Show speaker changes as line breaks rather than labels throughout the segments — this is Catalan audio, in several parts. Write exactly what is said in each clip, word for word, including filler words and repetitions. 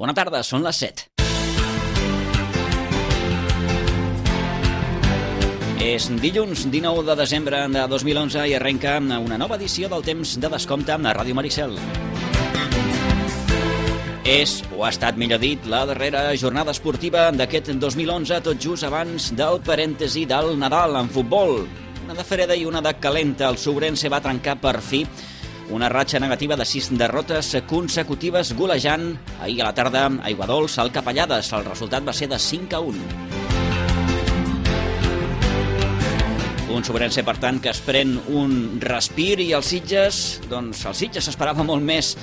Bona tarda, són les set. És dilluns dinou de desembre de dos mil onze i arrenca una nova edició del Temps de Descompte a Ràdio Maricel. És, o ha estat millor dit, la darrera jornada esportiva d'aquest dos mil onze, tot just abans del parèntesi del Nadal en futbol. Una de freda i una de calenta. El Sobrense va trencar per fi una ratxa negativa de sis derrotes consecutives golejant ahir a la tarda a Aiguadols al Capellades. El resultat va ser de cinc a un. Un Sobrense, per tant, que es pren un respir i els Sitges, doncs el Sitges s'esperava molt més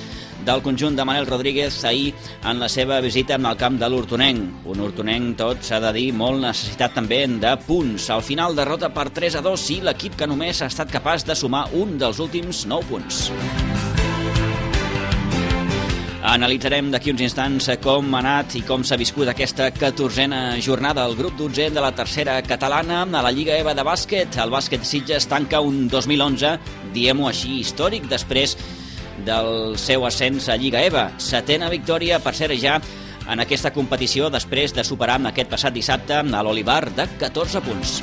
del conjunt de Manel Rodríguez ahir en la seva visita al camp de l'Hortonenc. Un Hortonenc, tot s'ha de dir, molt necessitat també de punts. Al final, derrota per tres a dos i l'equip que només ha estat capaç de sumar un dels últims nou punts. Analitzarem d'aquí uns instants com ha anat i com s'ha viscut aquesta catorzena jornada. El grup dotzè de la tercera catalana a la Lliga EVA de bàsquet. El bàsquet Sitges tanca un dos mil onze, diguem-ho així, històric, després del seu ascens a Lliga EVA. Setena victòria, per cert, ja en aquesta competició, després de superar aquest passat dissabte a l'Olivar de catorze punts.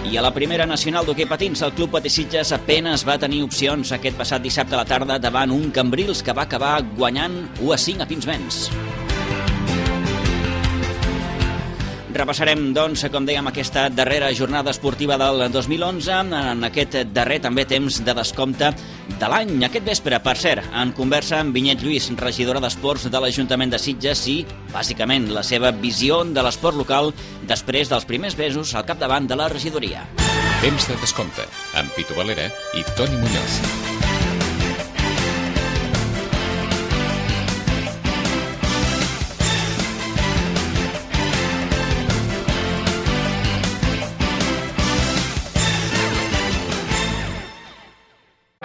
I a la primera nacional d'hoquei patins, el Club Patí Sitges apenas va tenir opcions aquest passat dissabte a la tarda davant un Cambrils que va acabar guanyant u a cinc a Pinsbens. Repassarem, doncs, com dèiem, aquesta darrera jornada esportiva del dos mil onze, en aquest darrer també temps de descompte de l'any. Aquest vespre, per cert, en conversa amb Vinyet Lluís, regidora d'Esports de l'Ajuntament de Sitges, i, bàsicament, la seva visió de l'esport local després dels primers mesos al capdavant de la regidoria.
Temps de descompte, amb Pitu Valera i Toni Muñoz.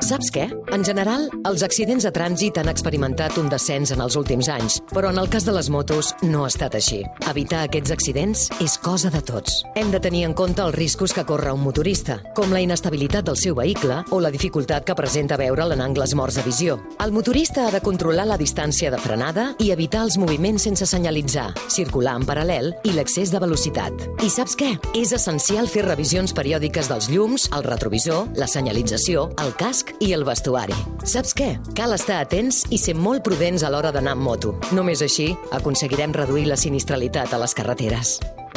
Saps què? En general, els accidents de trànsit han experimentat un descens en els últims anys, però en el cas de les motos no ha estat així. Evitar aquests accidents és cosa de tots. Hem de tenir en compte els riscos que corre un motorista, com la inestabilitat del seu vehicle o la dificultat que presenta veure'l en angles morts de visió. El motorista ha de controlar la distància de frenada i evitar els moviments sense senyalitzar, circular en paral·lel i l'excés de velocitat. I saps què? És essencial fer revisions periòdiques dels llums, el retrovisor, la senyalització, el casc i el vestuari. Saps què? Cal estar atents i ser molt prudents a l'hora d'anar amb moto. Només així aconseguirem reduir la sinistralitat a les carreteres.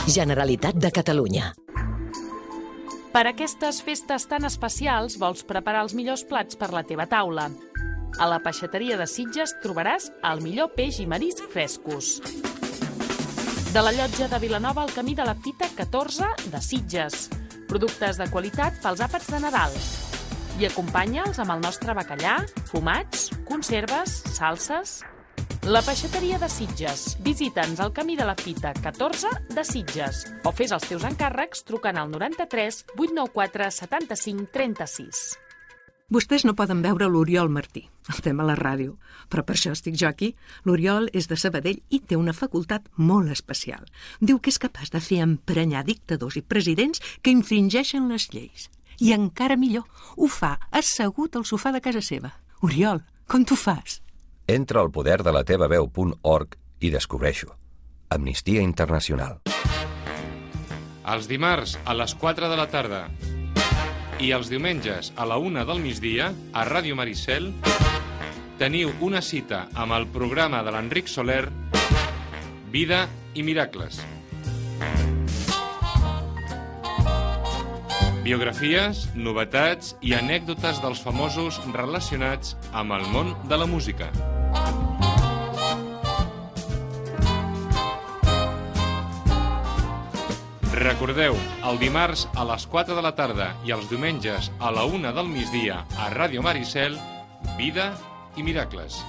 Generalitat de Catalunya.
Per aquestes festes tan especials vols preparar els millors plats per la teva taula. A la peixateria de Sitges trobaràs el millor peix i marisc frescos. De la llotja de Vilanova al camí de la Fita catorze de Sitges. Productes de qualitat pels àpats de Nadal. I acompanya'ls amb el nostre bacallà, fumats, conserves, salses. La peixateria de Sitges. Visita'ns al camí de la Fita catorze de Sitges o fes els teus encàrrecs trucant al noranta-tres vuit nou quatre setanta-cinc trenta-sis.
Vostès no poden veure l'Oriol Martí, el tema a la ràdio, però per això estic jo aquí. L'Oriol és de Sabadell i té una facultat molt especial. Diu que és capaç de fer emprenyar dictadors i presidents que infringeixen les lleis. I encara millor, ho fa assegut al sofà de casa seva. Oriol, com t'ho fas?
Entra al poder de la teva veu punt org i descobreixo. Amnistia Internacional.
Els dimarts a les quatre de la tarda i els diumenges a la una del migdia a Ràdio Maricel teniu una cita amb el programa de l'Enric Soler Vida i Miracles. Biografies, novetats i anècdotes dels famosos relacionats amb el món de la música. Recordeu, el dimarts a les quatre de la tarda i els diumenges a la una del migdia a Ràdio Maricel, Vida i Miracles.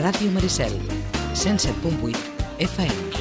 Ràdio Maricel, cent set punt vuit F M.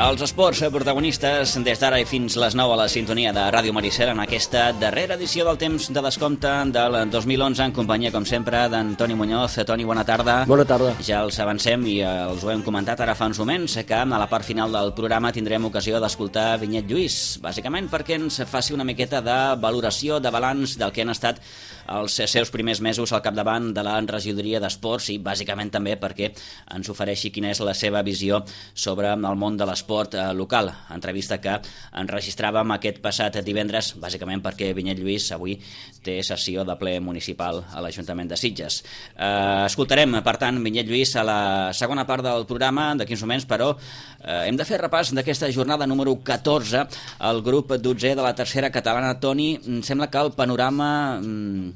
Els esports protagonistes des d'ara i fins les nou a la sintonia de Ràdio Maricel en aquesta darrera edició del temps de descompte del dos mil onze en companyia, com sempre, d'en Toni Muñoz. Toni, bona tarda.
Bona tarda.
Ja els avancem i els ho hem comentat ara fa uns moments que a la part final del programa tindrem ocasió d'escoltar Vinyet Lluís, bàsicament perquè ens faci una miqueta de valoració, de balanç del que han estat els seus primers mesos al capdavant de la regidoria d'esports i bàsicament també perquè ens ofereixi quina és la seva visió sobre el món de l'esport local. Entrevista que enregistràvem aquest passat divendres, bàsicament perquè Vinyet Lluís avui té sessió de ple municipal a l'Ajuntament de Sitges. Eh, escoltarem, per tant, Vinyet Lluís a la segona part del programa d'aquí uns moments, però eh, hem de fer repàs d'aquesta jornada número catorze al grup dotzè de la tercera catalana. Toni, em sembla que el panorama mm,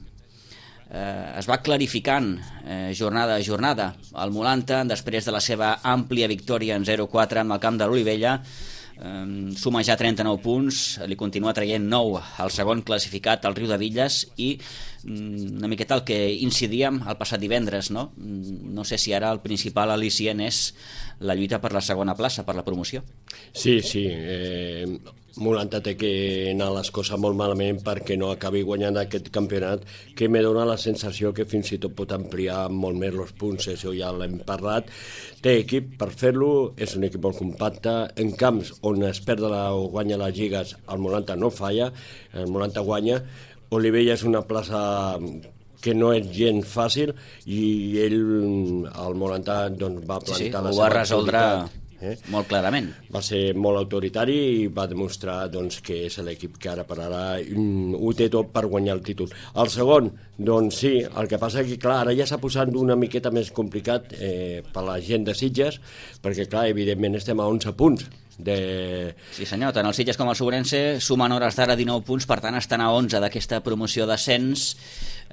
eh, es va clarificant eh, jornada a jornada. El Molanta, després de la seva àmplia victòria en zero quatre en el camp de l'Olivella, Um, suma ja trenta-nou punts, li continua traient nou al segon classificat, el Riu de Villes, i um, una miqueta el que incidíem el passat divendres, no? No sé si ara el principal al·licient és la lluita per la segona plaça, per la promoció.
Sí, sí, eh, Molanta té que anar les coses molt malament perquè no acabi guanyant aquest campionat, que me dona la sensació que fins i tot pot ampliar molt més els punts, això ja l'hem parlat. Té equip per fer-lo, és un equip molt compacte, en camps on es perd la, o guanya les lligues, el Molanta no falla, el Molanta guanya. Olivella és una plaça que no és gens fàcil i ell, el Molanta, doncs, va plantar sí, sí, la seva
ho va resoldre Eh? molt clarament.
Va ser molt autoritari i va demostrar doncs, que és l'equip que ara per ara mm, ho té tot per guanyar el títol. El segon, doncs sí, el que passa és que clar, ara ja s'ha posat una miqueta més complicat eh, per la gent de Sitges, perquè clar, evidentment estem a onze punts. De...
Sí senyor, tant el Sitges com el Sobrense sumen hores d'ara dinou punts, per tant estan a onze d'aquesta promoció d'ascens.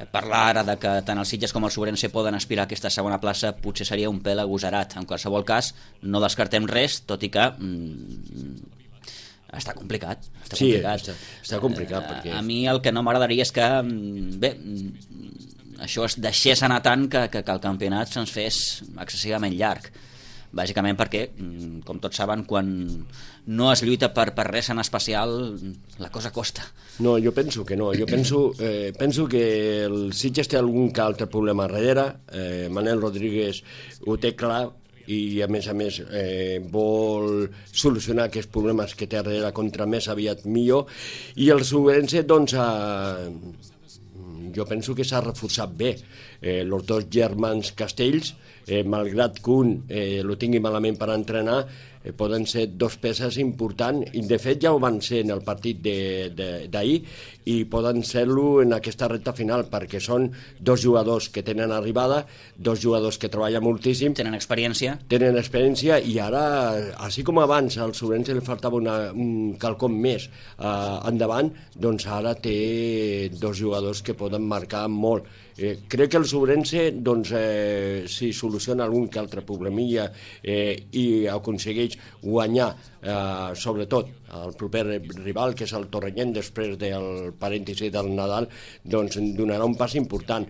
Parlar ara de que tant el Sitges com el Sobrense poden aspirar a aquesta segona plaça potser seria un pèl agosarat. En qualsevol cas, no descartem res, tot i que mm, està complicat. Està
sí,
complicat.
Està, està complicat. Perquè...
A, a mi el que no m'agradaria és que, bé, això es deixés anar tant que, que, que el campionat se'ns fes excessivament llarg. Bàsicament perquè, com tots saben, quan no es lluita per, per res en especial, la cosa costa.
No, jo penso que no. Jo penso, eh, penso que el Sitges té algun que altre problema darrere. Eh, Manel Rodríguez ho té clar i, a més a més, eh, vol solucionar aquests problemes que té darrere contra més aviat millor. I el Sobrense, doncs, eh, jo penso que s'ha reforçat bé. Eh, els dos germans Castells, eh, malgrat que un eh, lo tingui malament per entrenar, eh, poden ser dos peces importants, i de fet ja ho van ser en el partit d'ahir, i poden ser-lo en aquesta recta final, perquè són dos jugadors que tenen arribada, dos jugadors que treballen moltíssim,
tenen experiència,
tenen experiència i ara, així com abans al Sobrense li faltava una, un quelcom més eh, endavant, doncs ara té dos jugadors que poden marcar molt. Eh, crec que el Sobrense, doncs, eh, si soluciona algun que altre problemilla eh, i aconsegueix guanyar, eh, sobretot el proper rival, que és el Torrellent, després del parèntesi del Nadal, doncs donarà un pas important.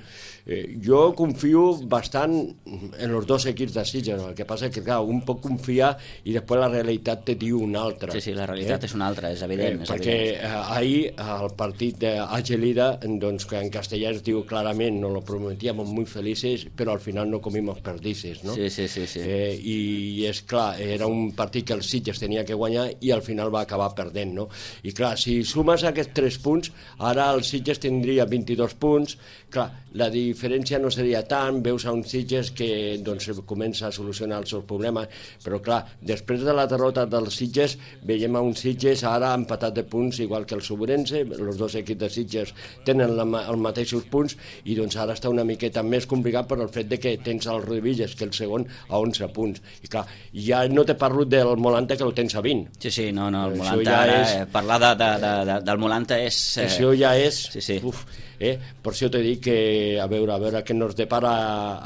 Eh, jo confio bastant en els dos equips de Sitges, el que passa és que clar, un pot confiar i després la realitat te diu una altra.
Sí, sí, la realitat eh? és una altra, és evident.
Eh,
és
perquè
evident.
Eh, ahir el partit d'Agelida, doncs, que en castellà es diu clarament, no lo prometíamos muy felices, però al final no comimos perdices, no?
Sí, sí, sí. sí.
Eh, I és clar, era un partit que el Sitges tenia que guanyar i al final va acabar perdent, no? I clar, si sumes aquests tres punts, ara el Sitges tindria vint-i-dos punts, clar, la diferència no seria tant, veus a un Sitges que doncs, comença a solucionar els seus problemes, però clar, després de la derrota del Sitges, veiem a un Sitges ara empatat de punts, igual que el Sobrense, els dos equips de Sitges tenen la, els mateixos punts, i doncs ara està una miqueta més complicat per el fet de que tens el Riuvilles, que el segon, a onze punts. I clar, ja no te parlo del Molanta, que el tens a vint.
Sí, sí, no, no, el Molanta, ja ara, és... eh, parlar de, de, de, de, del Molanta és...
Eh... Això ja és...
Sí, sí.
Uf, eh? Per això t'he dit que, a veure, a veure què ens depara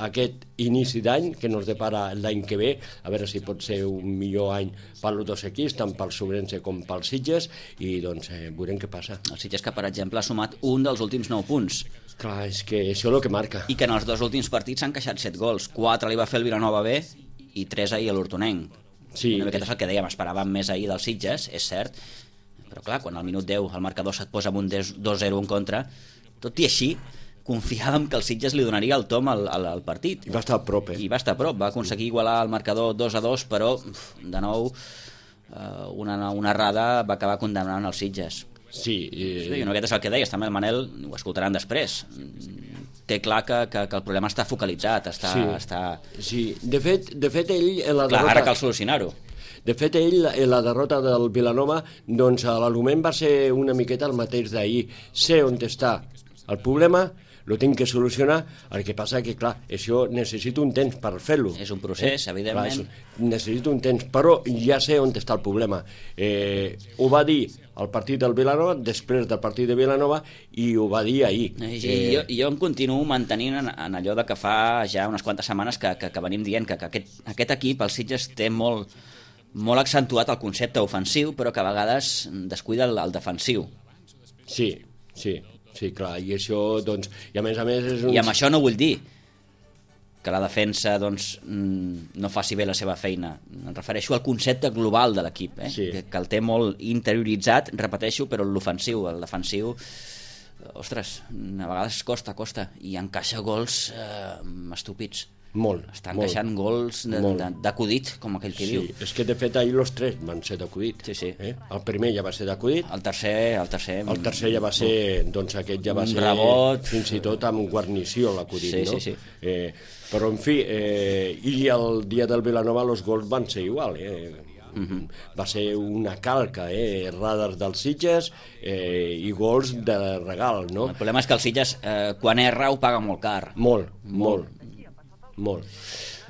aquest inici d'any, que ens depara l'any que ve, a veure si pot ser un millor any per als dos equips, tant pel Sobrense com pel Sitges, i doncs eh, veurem què passa.
El Sitges, que per exemple ha sumat un dels últims nou punts.
Clar, és que això és el que marca.
I que en els dos últims partits s'han queixat set gols. Quatre li va fer el Vilanova B i tres ahir a l'Hortonenc.
Sí,
una miqueta és el que dèiem, esperàvem més ahir dels Sitges, és cert, però clar, quan al minut deu el marcador se't posa amb un dos zero en contra, tot i així confiàvem que el Sitges li donaria el tom al, al, al partit.
I va estar a prop, eh?
I va estar a prop, va aconseguir igualar el marcador dos a dos, però de nou una, una errada va acabar condemnant els Sitges.
Sí,
eh... sí, una miqueta és el que deies, també el Manel, ho escoltaran després, té clar que, que, que el problema està focalitzat, està...
Sí,
està...
sí. De, fet, de fet ell... La
clar,
derrota...
ara cal solucionar-ho.
De fet, ell, la derrota del Vilanova, doncs l'argument va ser una miqueta el mateix d'ahir. Sé on està el problema, lo tinc que solucionar, el que passa que, clar, això necessito un temps per fer-lo.
És un procés, eh? evidentment.
Clar, necessito un temps, però ja sé on està el problema. Eh, ho va dir al partit del Vilanova, després del partit de Vilanova, i ho va dir ahir.
Eh, eh, jo, jo em continuo mantenint en, en allò de que fa ja unes quantes setmanes que, que, que venim dient que, que aquest, aquest equip, el Sitges, té molt, molt accentuat el concepte ofensiu, però que a vegades descuida el, el defensiu.
Sí, sí. Sí, clar, i això, doncs, i a més a més és un...
I amb això no vull dir que la defensa, doncs, no faci bé la seva feina. Em refereixo al concepte global de l'equip, eh?
Sí.
que, que el té molt interioritzat, repeteixo, però l'ofensiu, el defensiu, ostres, a vegades costa, costa, i encaixa gols eh, estúpids.
Molt.
Està encaixant molt. gols d'acudit, com aquell que
sí,
diu.
És que de fet ahir els tres van ser d'acudit.
Sí, sí.
Eh? El primer ja va ser d'acudit.
El tercer, el tercer...
El tercer ja va ser, doncs aquest ja va
un
ser...
rebot.
Fins i tot amb guarnició l'acudit,
sí,
no?
Sí, sí.
Eh, però, en fi, eh, i el dia del Vilanova els gols van ser igual, eh? Uh-huh. Va ser una calca, eh? Radars dels Sitges eh, i gols de regal, no?
El problema és que el Sitges, eh, quan erra, ho paga molt car.
Molt, molt. Molt.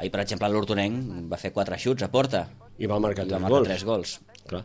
Ahir, per exemple, l'Hortonenc va fer quatre xuts a porta.
I va marcar tres
va marcar
gols.
tres gols.
Clar.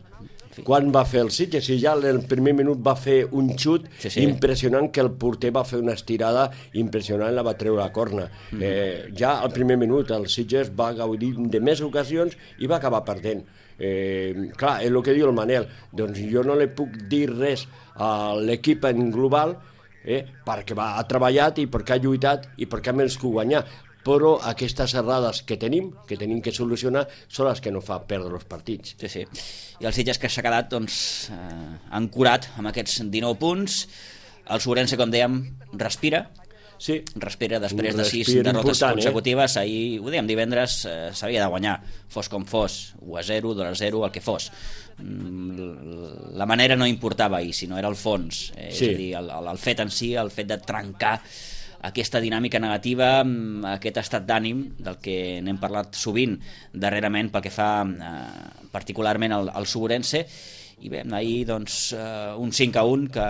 Quan va fer el Sitges? Si ja en el primer minut va fer un xut
sí, sí.
impressionant, que el porter va fer una estirada impressionant, la va treure a corna. Mm. Eh, ja al primer minut el Sitges va gaudir de més ocasions i va acabar perdent. Eh, clar, és el que diu el Manel. Doncs jo no li puc dir res a l'equip en global eh, perquè va, ha treballat i perquè ha lluitat i perquè ha menys que guanyar. Però aquestes errades que tenim, que tenim que solucionar, són les que no fa perdre els partits.
Sí, sí. I el Sitges que s'ha quedat doncs, eh, ancorat amb aquests dinou punts. El Sobrense, com dèiem, respira.
Sí.
Respira després de sis
Respira
derrotes consecutives.
Eh?
Ahir, ho dèiem divendres, eh, s'havia de guanyar, fos com fos, u a zero, dos a zero, el que fos. La manera no importava ahir, sinó era el fons. Eh,
sí.
És a dir, el, el fet en si, el fet de trencar aquesta dinàmica negativa, aquest estat d'ànim del que n'hem parlat sovint darrerament pel que fa eh, particularment al, al Sobrense, i bé, ahir doncs, eh, un cinc a un que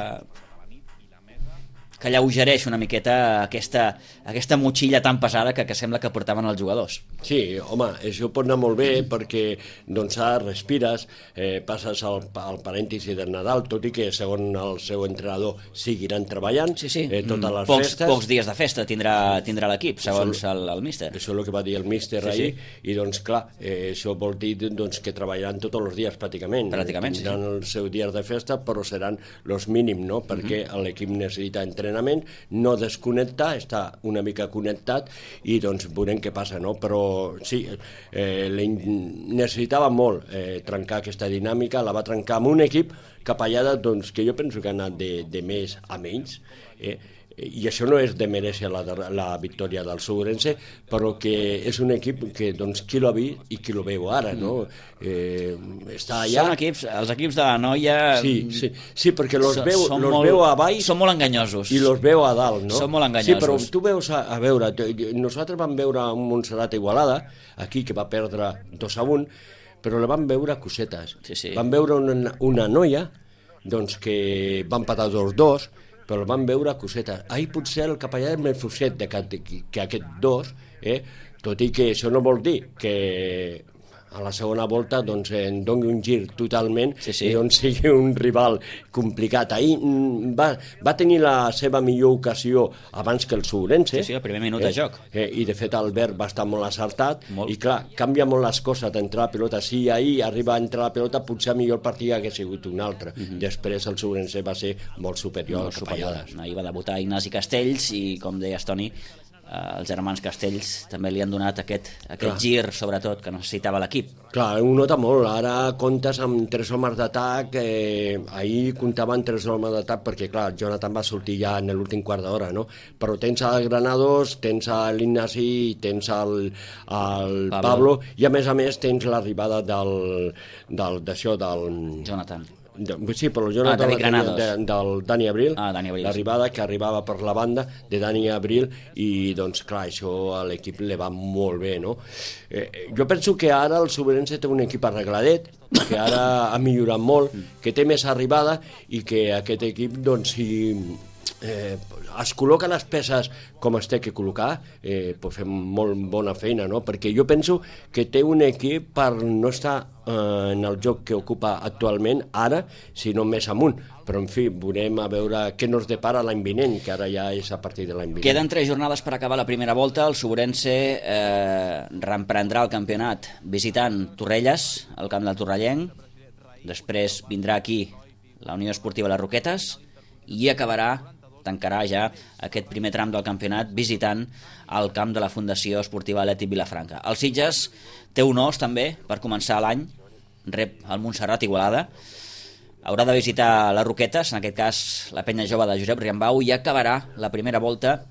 que alleugereix una miqueta aquesta, aquesta motxilla tan pesada que, que sembla que portaven els jugadors.
Sí, home, això pot anar molt bé perquè doncs ara respires, eh, passes al, al parèntesi del Nadal, tot i que segons el seu entrenador seguiran treballant
sí, sí.
Eh, totes les
pocs,
festes.
Pocs dies de festa tindrà, tindrà l'equip, segons el, el míster.
Això és el que va dir el míster sí, ahir, sí. I doncs clar, eh, això vol dir doncs, que treballaran tots els dies pràcticament.
Pràcticament,
Tindran
sí.
els seus dies de festa, però seran els mínims, no? Perquè mm-hmm. l'equip necessita entrenar, no desconnectar, està una mica connectat i doncs veurem què passa, no? Però sí, eh, necessitava molt eh, trencar aquesta dinàmica, la va trencar amb un equip capellada doncs, que jo penso que ha anat de, de més a menys, eh? I això no és de mereixer la, la victòria del Sobrense, però que és un equip que doncs, qui l'ha vist i qui lo veu ara, no? Eh, està allà...
Són equips, els equips de la noia...
Sí, sí, sí perquè los
so,
veu, los
molt,
veu a baix...
Són molt enganyosos.
I los veu a dalt, no?
Són molt enganyosos.
Sí, però tu veus, a, a veure, nosaltres vam veure un Montserrat Igualada, aquí, que va perdre dos a un, però la vam veure cosetes.
Sí, sí.
Vam veure una, una noia doncs, que va empatar dos dos, però el van veure cosetes. Ahir potser el capellà és més fluixet que, que aquest dos, eh? Tot i que això no vol dir que a la segona volta doncs, en doni un gir totalment
sí, sí.
i doncs sigui un rival complicat. Ahir va, va tenir la seva millor ocasió abans que el Sobrense.
Sí, sí, el primer minut
eh?
de joc.
Eh, I de fet Albert va estar molt acertat
molt.
I clar, canvia molt les coses d'entrar la pilota. Si ahir arriba a entrar la pilota, potser millor el partit hagués sigut un altre. Mm-hmm. Després el Sobrense va ser molt superior
molt
al Capellades.
Ahir va debutar Ignasi Castells i, com deies, Toni, els germans Castells també li han donat aquest, aquest gir, sobretot, que necessitava l'equip.
Clar, ho nota molt. Ara comptes amb tres homes d'atac. Eh, ahir comptaven tres homes d'atac perquè, clar, Jonathan va sortir ja en l'últim quart d'hora, no? Però tens el Granados, tens l'Ignasi, tens el, el Pablo. Pablo, i a més a més tens l'arribada del, del, d'això, del...
Jonathan.
De, sí, però el Jonathan
ah,
de, del Dani Abril,
ah, Dani Abril,
l'arribada que arribava per la banda de Dani Abril, i doncs clar, això a l'equip li va molt bé, no? Eh, jo penso que ara el Sobrense té un equip arregladet, que ara ha millorat molt, que té més arribada i que aquest equip, doncs, si eh, es col·loca les peces com es té que col·locar, eh, pot fer molt bona feina, no? Perquè jo penso que té un equip per no estar eh, en el joc que ocupa actualment ara, sinó més amunt. Però, en fi, veurem a veure què nos depara l'any vinent, que ara ja és a partir de l'any vinent.
Queden tres jornades per acabar la primera volta. El Sobrense eh, reemprendrà el campionat visitant Torrelles, el camp del Torrellenc. Després vindrà aquí la Unió Esportiva Les Roquetes i acabarà, tancarà ja aquest primer tram del campionat visitant el camp de la Fundació Esportiva Atlètic Vilafranca. El Sitges té un os també per començar l'any, rep el Montserrat Igualada, haurà de visitar les Roquetes, en aquest cas la penya jove de Josep Riambau, i acabarà la primera volta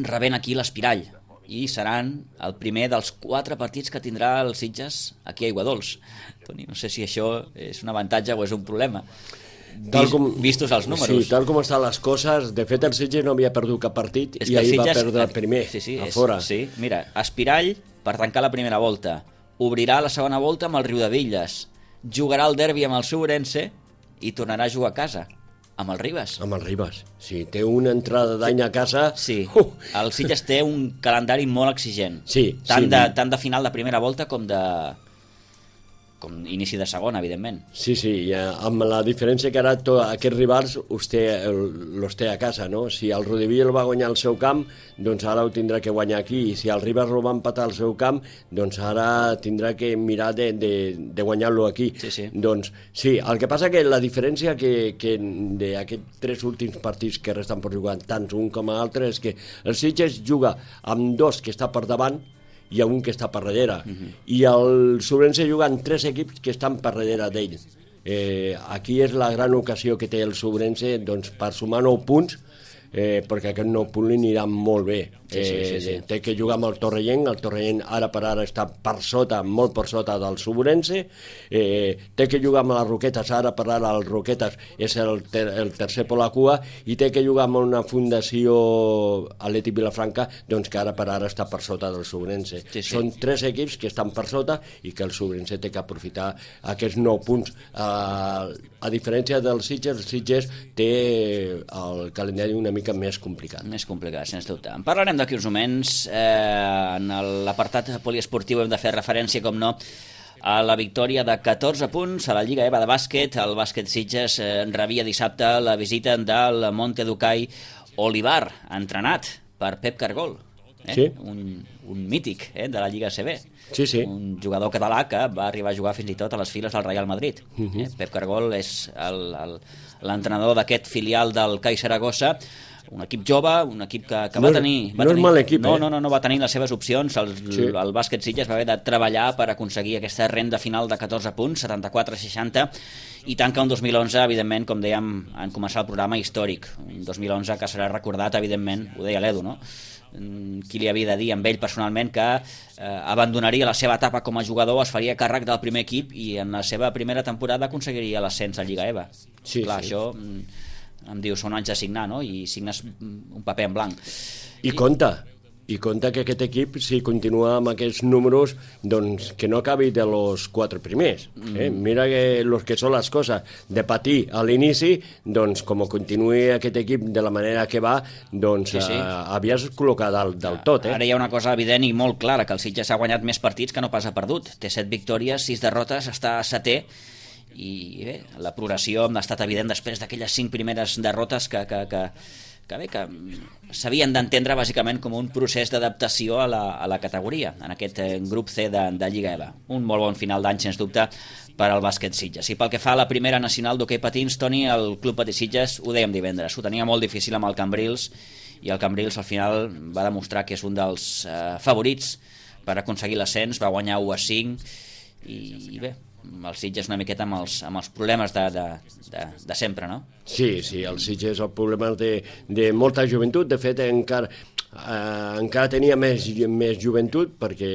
rebent aquí l'Espirall, i seran el primer dels quatre partits que tindrà el Sitges aquí a Aiguadols. Toni, no sé si això és un avantatge o és un problema.
Tal com,
vistos els números.
Sí, tal com estan les coses, de fet el Sitges no havia perdut cap partit i ahir Sitges va perdre el primer,
sí, sí,
a
és,
fora.
Sí, mira, Espirall per tancar la primera volta, obrirà la segona volta amb el Riudevilles, jugarà el derbi amb el Sobrense i tornarà a jugar a casa amb el Ribes.
Amb el Ribes, sí, té una entrada d'any a casa.
Sí, uh. el Sitges té un calendari molt exigent,
sí,
tant,
sí.
De, tant de final de primera volta com de... com inici de segona, evidentment.
Sí, sí, ja, amb la diferència que ara to, aquests rivals els té, els té a casa, no? Si el Rodevil va guanyar al seu camp, doncs ara ho tindrà que guanyar aquí, i si el Ribes ho va empatar al seu camp, doncs ara tindrà que mirar de, de, de guanyar-lo aquí.
Sí, sí.
Doncs sí, el que passa que la diferència que, que d'aquests tres últims partits que resten per jugar, tant un com l'altre, és que el Sitges juga amb dos que està per davant, hi ha un que està per darrere, uh-huh. i el Sobrense juga amb tres equips que estan per darrere d'ell. Eh, aquí és la gran ocasió que té el Sobrense, doncs, per sumar nou punts, eh, perquè aquest nou punt li anirà molt bé.
Sí, sí, sí, sí.
Eh, té que jugar amb el Torrellenc, el Torrellenc ara per ara està per sota, molt per sota del Sobrense, eh, té que jugar amb les Roquetes, ara per ara el Roquetes és el, ter el tercer per la cua, i té que jugar amb una fundació Atlètic Vilafranca, doncs que ara per ara està per sota del Sobrense. Sí, sí. Són tres equips que estan per sota i que el Sobrense té que aprofitar aquests nou punts. Eh, a diferència del Sitges, el Sitges té el calendari una mica més complicat.
Més complicat, sens dubte. En parlarem d'aquí uns moments. Eh, en l'apartat poliesportiu hem de fer referència, com no, a la victòria de catorze punts a la Lliga EVA de bàsquet. El bàsquet Sitges eh, rebia dissabte la visita del Monte Ducai Olivar, entrenat per Pep Cargol, eh?
Sí.
un, un mític eh, de la Lliga A C B.
Sí, sí.
Un jugador català que va arribar a jugar fins i tot a les files del Real Madrid. Uh-huh. eh? Pep Cargol és l'entrenador d'aquest filial del C A I Saragossa, un equip jove, un equip que, que
no,
va tenir... Va
no
tenir,
és mal equip,
no,
eh?
No, no, no va tenir les seves opcions. El, sí. el bàsquet Sitges va haver de treballar per aconseguir aquesta renda final de catorze punts, setanta-quatre a seixanta, i tanca un dos mil onze, evidentment, com dèiem en començar el programa, històric. Un dos mil onze que serà recordat, evidentment, ho deia l'Edu, no? Qui li havia de dir amb ell personalment que eh, abandonaria la seva etapa com a jugador, es faria càrrec del primer equip i en la seva primera temporada aconseguiria l'ascens a Lliga EVA.
Sí,
clar,
sí.
Això em diu, són anys de signar, no? I signes un paper en blanc.
I, I compta, i compta que aquest equip, si continua amb aquests números, doncs que no acabi de los quatre primers. Eh? Mm. Mira que los que són les coses. De patir a l'inici, doncs com continuï aquest equip de la manera que va, doncs sí, sí. Eh, havies col·locat del, del tot. Eh?
Ara hi ha una cosa evident i molt clara, que el Sitges ha guanyat més partits que no pas ha perdut. Té set victòries, sis derrotes, està setè, i bé, la progressió ha estat evident després d'aquelles cinc primeres derrotes que, que, que, que bé, que s'havien d'entendre bàsicament com un procés d'adaptació a, la, a la categoria, en aquest eh, grup C de, de Lliga EVA. Un molt bon final d'any, sens dubte, per al bàsquet Sitges. I pel que fa a la primera nacional d'hoquei patins, Toni, el Club Patí Sitges, ho dèiem divendres, ho tenia molt difícil amb el Cambrils, i el Cambrils al final va demostrar que és un dels eh, favorits per aconseguir l'ascens, va guanyar u a cinc i, i bé, el Sitges una miqueta amb els, amb els problemes de, de, de, de sempre, no?
Sí, sí, el Sitges el problema de, de molta joventut, de fet encara, eh, encara tenia més, més joventut perquè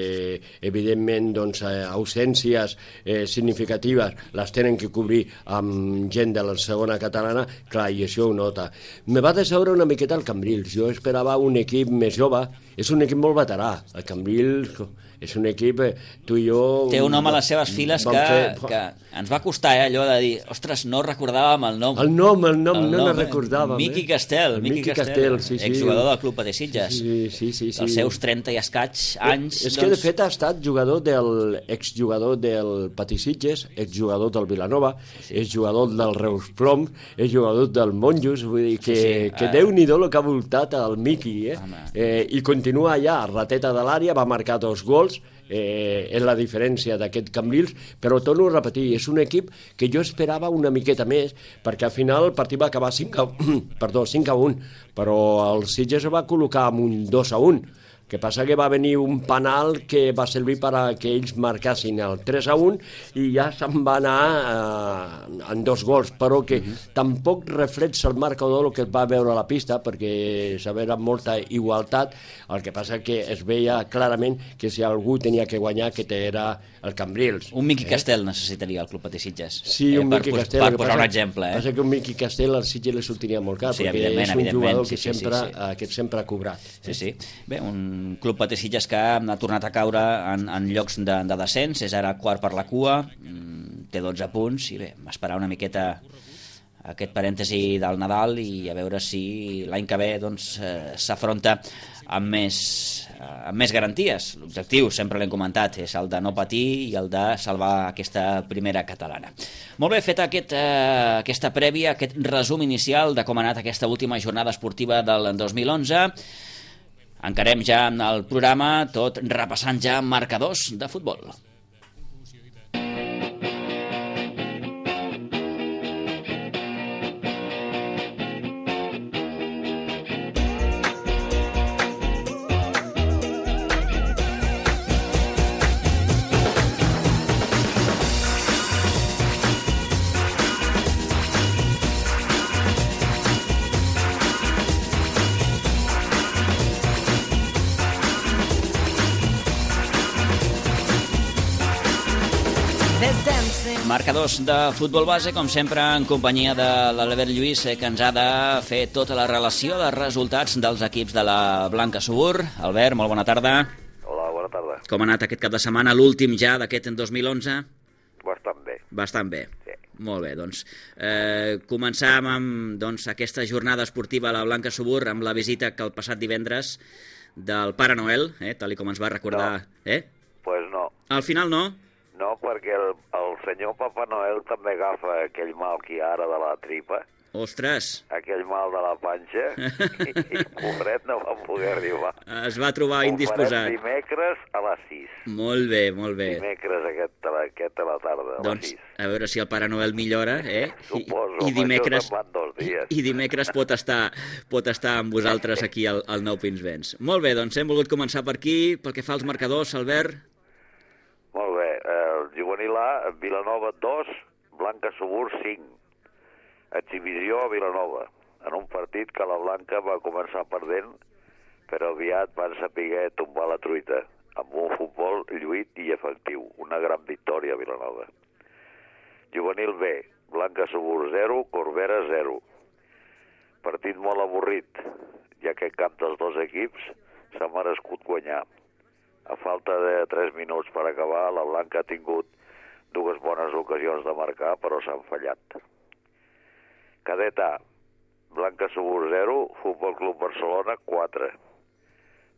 evidentment doncs, eh, ausències eh, significatives les tenen que cobrir amb gent de la segona catalana, clar, i això ho nota. Me va decebre una miqueta el Cambrils, jo esperava un equip més jove, és un equip molt veterà, el Cambrils és un equip, eh, tu i jo...
Té un home a les seves files que, fer... que ens va costar eh, allò de dir, ostres, no recordàvem el nom.
El nom, el nom,
el
no
nom,
el recordàvem.
Miqui
eh?
Castel,
el
Miqui,
Miqui
Castel,
Castel sí, sí.
exjugador del Club Patí Sitges.
Sí, sí, sí, sí.
Els seus trenta i escaig anys.
És
doncs...
que de fet ha estat jugador del exjugador del Patí Sitges, exjugador del Vilanova, sí. És jugador del Reus Plom, és jugador del Monjos, vull dir que, sí, sí. que uh... Déu-n'hi-do el que ha voltat el Miqui, eh? eh? I continua allà, rateta de l'àrea, va marcar dos gols, eh, és la diferència d'aquest Cambrils, però torno a repetir, és un equip que jo esperava una miqueta més, perquè al final el partit va acabar cinc a un, però el Sitges va col·locar amb un dos a un, que passa que va venir un penal que va servir per a que ells marcassin el tres a un i ja se'n va anar eh, en dos gols, però que uh-huh. tampoc reflexa el marcador el que es va veure a la pista, perquè s'havia molta igualtat, el que passa que es veia clarament que si algú tenia que guanyar que era el Cambrils.
Un Miqui eh? Castel necessitaria el Club Patí Sitges.
Sí, un
eh,
Miqui
per,
Castel.
Per posar un exemple. Eh?
Passa que un Miqui Castel al Sitges li sortiria molt car,
sí,
perquè és un jugador
sí,
que, sempre,
sí, sí.
Eh, que sempre ha cobrat.
Sí, sí. Bé, un Club Patí Sitges que ha tornat a caure en, en llocs de, de descens, és ara quart per la cua, té dotze punts, i bé, m'esperar una miqueta aquest parèntesi del Nadal i a veure si l'any que ve doncs, eh, s'afronta amb més, eh, amb més garanties. L'objectiu, sempre l'hem comentat, és el de no patir i el de salvar aquesta primera catalana. Molt bé, feta aquest, eh, aquesta prèvia, aquest resum inicial de com ha anat aquesta última jornada esportiva del dos mil onze, encarem ja el programa, tot repassant ja marcadors de futbol. Marcadors de futbol base, com sempre, en companyia de l'Albert Lluís, que ens ha de fer tota la relació de resultats dels equips de la Blanca Subur. Albert, molt bona tarda.
Hola, bona tarda.
Com ha anat aquest cap de setmana, l'últim ja d'aquest dos mil onze?
Bastant bé.
Bastant bé.
Sí.
Molt bé, doncs eh, començàvem amb doncs, aquesta jornada esportiva a la Blanca Subur amb la visita que el passat divendres del Pare Noel, eh, tal com ens va recordar.
No.
Eh?
Pues no.
Al final no?
No, perquè el, el senyor Papa Noel també agafa aquell mal que hi ha ara de la tripa.
Ostres!
Aquell mal de la panxa, i, i pobret no va poder arribar.
Es va trobar indisposat.
Ho farem dimecres a les sis.
Molt bé, molt bé.
Dimecres aquest, aquest a la tarda, a
doncs,
les sis.
A veure si el Pare Noel millora, eh?
Suposo,
I, i dimecres,
això se'n van dos dies.
I dimecres pot estar, pot estar amb vosaltres aquí al, al Nou Pinsbens. Molt bé, doncs hem volgut començar per aquí, pel que fa als marcadors, Albert.
Molt bé, el juvenil A, Vilanova dos, Blanca Subur cinc. Exhibició a Vilanova, en un partit que la Blanca va començar perdent, però aviat van saber tombar la truita, amb un futbol lluit i efectiu. Una gran victòria a Vilanova. Juvenil B, Blanca Subur zero, Corbera zero. Partit molt avorrit, ja que cap dels dos equips s'ha merescut guanyar. A falta de tres minuts per acabar, la Blanca ha tingut dues bones ocasions de marcar, però s'han fallat. Cadet A, Blanca Subur zero, Futbol Club Barcelona quatre.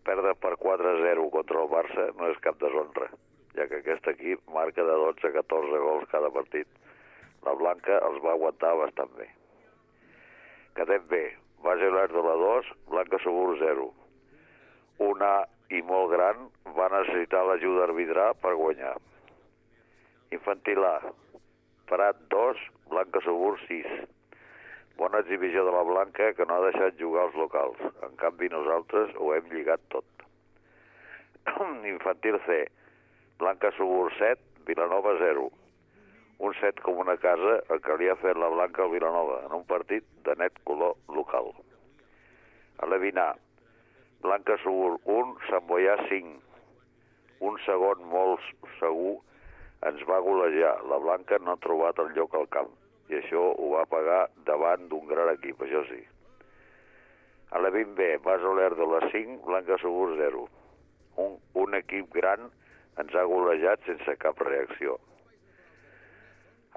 Perdre per quatre a zero contra el Barça no és cap deshonra, ja que aquest equip marca de dotze a catorze gols cada partit. La Blanca els va aguantar bastant bé. Cadet B, Base Olèrdola dos, Blanca Subur zero. Una i molt gran va necessitar l'ajuda arbitral per guanyar. Infantil A, Prat dos, Blanca Subur sis. Bona exhibició de la Blanca, que no ha deixat jugar els locals. En canvi, nosaltres ho hem lligat tot. Infantil C. Blanca Subur set, Vilanova zero. Un set com una casa, el que li ha fet la Blanca al Vilanova, en un partit de net color local. A l'Evinar. Blanca Subur un, Sant Boià cinc. Un segon molt segur ens va golejar. La Blanca no ha trobat el lloc al camp i això ho va pagar davant d'un gran equip, això sí. A la vint B, Bas Olèrdola cinc, Blanca Subur zero. Un, un equip gran ens ha golejat sense cap reacció.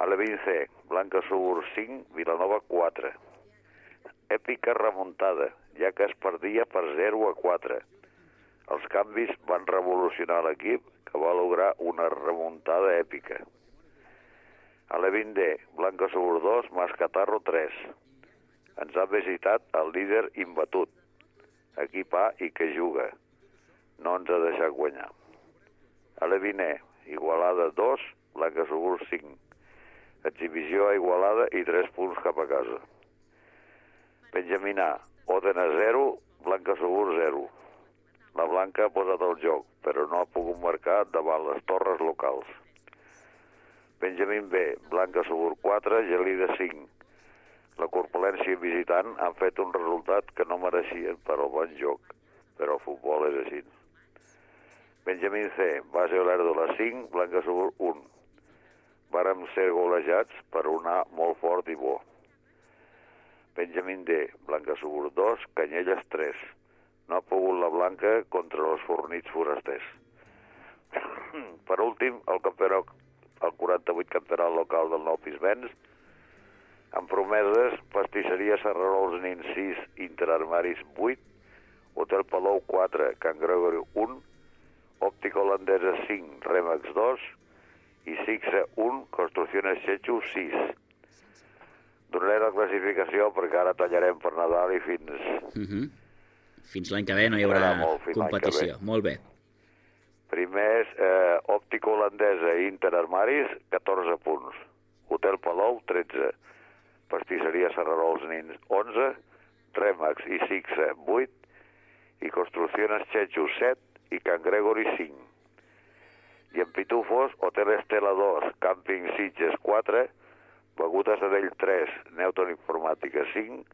A la vint C, Blanca Subur cinc, Vilanova quatre. Èpica remuntada, ja que es perdia per zero a quatre. Els canvis van revolucionar l'equip, que va lograr una remuntada èpica. A la vint D, Blanca Subur dos, Mascatarro tres. Ens ha visitat el líder imbatut, equip A i que juga. No ens ha deixat guanyar. A la vint E, Igualada dos, Blanca Subur cinc. Exhibició a Igualada i tres punts cap a casa. Benjamín A, Òdena zero, Blanca Subur zero. La Blanca ha posat el joc, però no ha pogut marcar davant les torres locals. Benjamín B, Blanca Subur quatre, Gelida cinc. La corpulència visitant han fet un resultat que no mereixien per al bon joc, però el futbol és així. Benjamín C, Base Olèrdola cinc, Blanca Subur un. Vàrem ser golejats per un A molt fort i bo. Benjamín D, Blanca Subur dos, Canyelles tres. No ha pogut la Blanca contra els fornits forasters. Per últim, el campionat, el quaranta-vuit campionat local del Nou Pisbens, amb promeses, pastisseria Serrarols Nin sis, Interarmaris vuit, Hotel Palou quatre, Can Gregory un, Òptica Holandesa cinc, Remax dos i Sixa un, Construcciones Chechu sis. Donaré la classificació perquè ara tallarem per Nadal i fins...
Uh-huh. Fins l'any que ve no hi haurà molt, competició. Molt bé.
Primer és eh, Òptica Holandesa i Interarmaris, catorze punts. Hotel Palou, tretze. Pastisseria Serrarols Nins, onze. Remax i Sixa, vuit. I Construcciones Chechu, set. I Can Gregory, cinc. I en Pitufos, Hotel Estela dos, Càmping Sitges, quatre. Begudes Adell, tres. Newton Informàtica, cinc.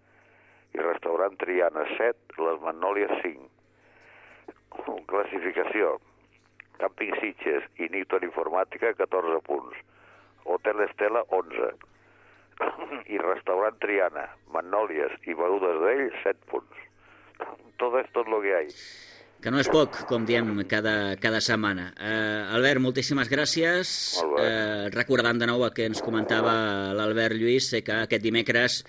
I Restaurant Triana, set. Les Magnòlies, cinc. Classificació. Càmping Sitges i Newton Informàtica, catorze punts. Hotel Estela, onze. I Restaurant Triana, Magnòlies i Begudes d'ell, set punts. Tot és tot el que hi ha.
Que no és poc, com diem cada, cada setmana. Eh, Albert, moltíssimes gràcies. Eh, recordant de nou el que ens comentava l'Albert Lluís, sé que aquest dimecres,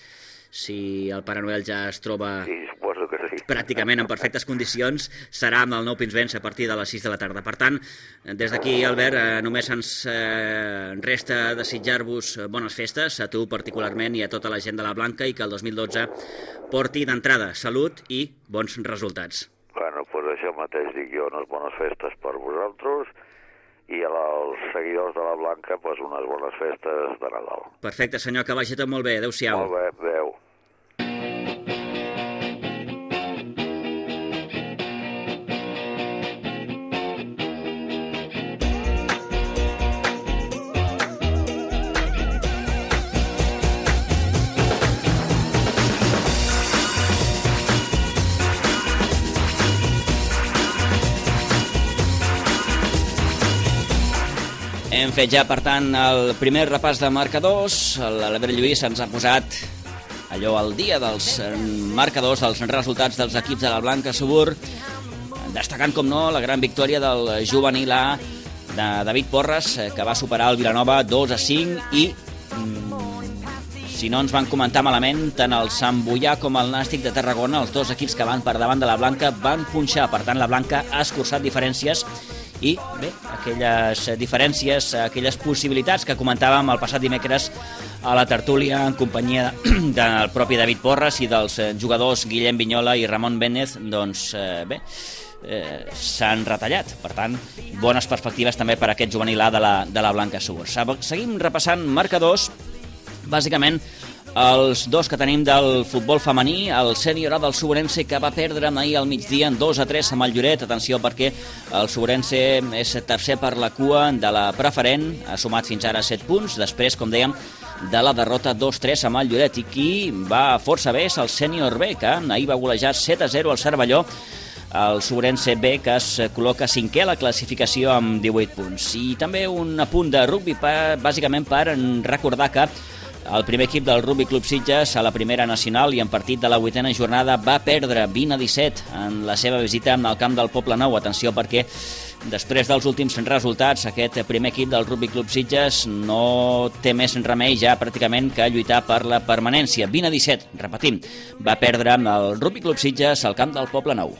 si el Pare Noel ja es troba
sí, suposo que sí.
pràcticament en perfectes condicions, serà amb el Nou Pinsbens a partir de les sis de la tarda. Per tant, des d'aquí, Albert, eh, només ens eh, resta desitjar-vos bones festes, a tu particularment i a tota la gent de la Blanca, i que el dos mil dotze porti d'entrada salut i bons resultats.
Bueno, doncs això mateix dic jo, unes bones festes per vosaltres i als seguidors de la Blanca doncs unes bones festes de Nadal.
Perfecte, senyor, que vagi tot molt bé. Adéu-siau.
Molt bé, adéu.
Hem fet ja, per tant, el primer repàs de marcadors. L'Albert Lluís ens ha posat allò al dia dels marcadors, dels resultats dels equips de la Blanca Subur, destacant, com no, la gran victòria del juvenil A de David Porres, que va superar el Vilanova dos a cinc i, si no ens van comentar malament, tant el Sant Boià com el Nàstic de Tarragona, els dos equips que van per davant de la Blanca, van punxar. Per tant, la Blanca ha escurçat diferències i, bé, aquelles diferències, aquelles possibilitats que comentàvem el passat dimecres a la tertúlia en companyia del propi David Porres i dels jugadors Guillem Vinyola i Ramon Bénez, doncs, eh, bé, eh, s'han retallat. Per tant, bones perspectives també per a aquest juvenil A de la, de la Blanca Subur. Seguim repassant marcadors, bàsicament Els dos que tenim del futbol femení, el sènior A del Suborense, que va perdre ahir al migdia en dos a tres amb el Lloret. Atenció, perquè el Suborense és tercer per la cua de la preferent, ha sumat fins ara set punts, després, com dèiem, de la derrota dos tres amb el Lloret. I qui va força bé és el sènior B, que ahir va golejar set a zero al Cervelló. El Suborense B, que es col·loca cinquè a la classificació amb divuit punts. I també un apunt de rugby, bàsicament per recordar que el primer equip del Rugby Club Sitges a la primera nacional i en partit de la vuitena jornada va perdre vint a disset en la seva visita al camp del Poble Nou. Atenció, perquè després dels últims resultats, aquest primer equip del Rugby Club Sitges no té més remei ja pràcticament que lluitar per la permanència. vint a disset, repetim, va perdre el Rugby Club Sitges al camp del Poble Nou.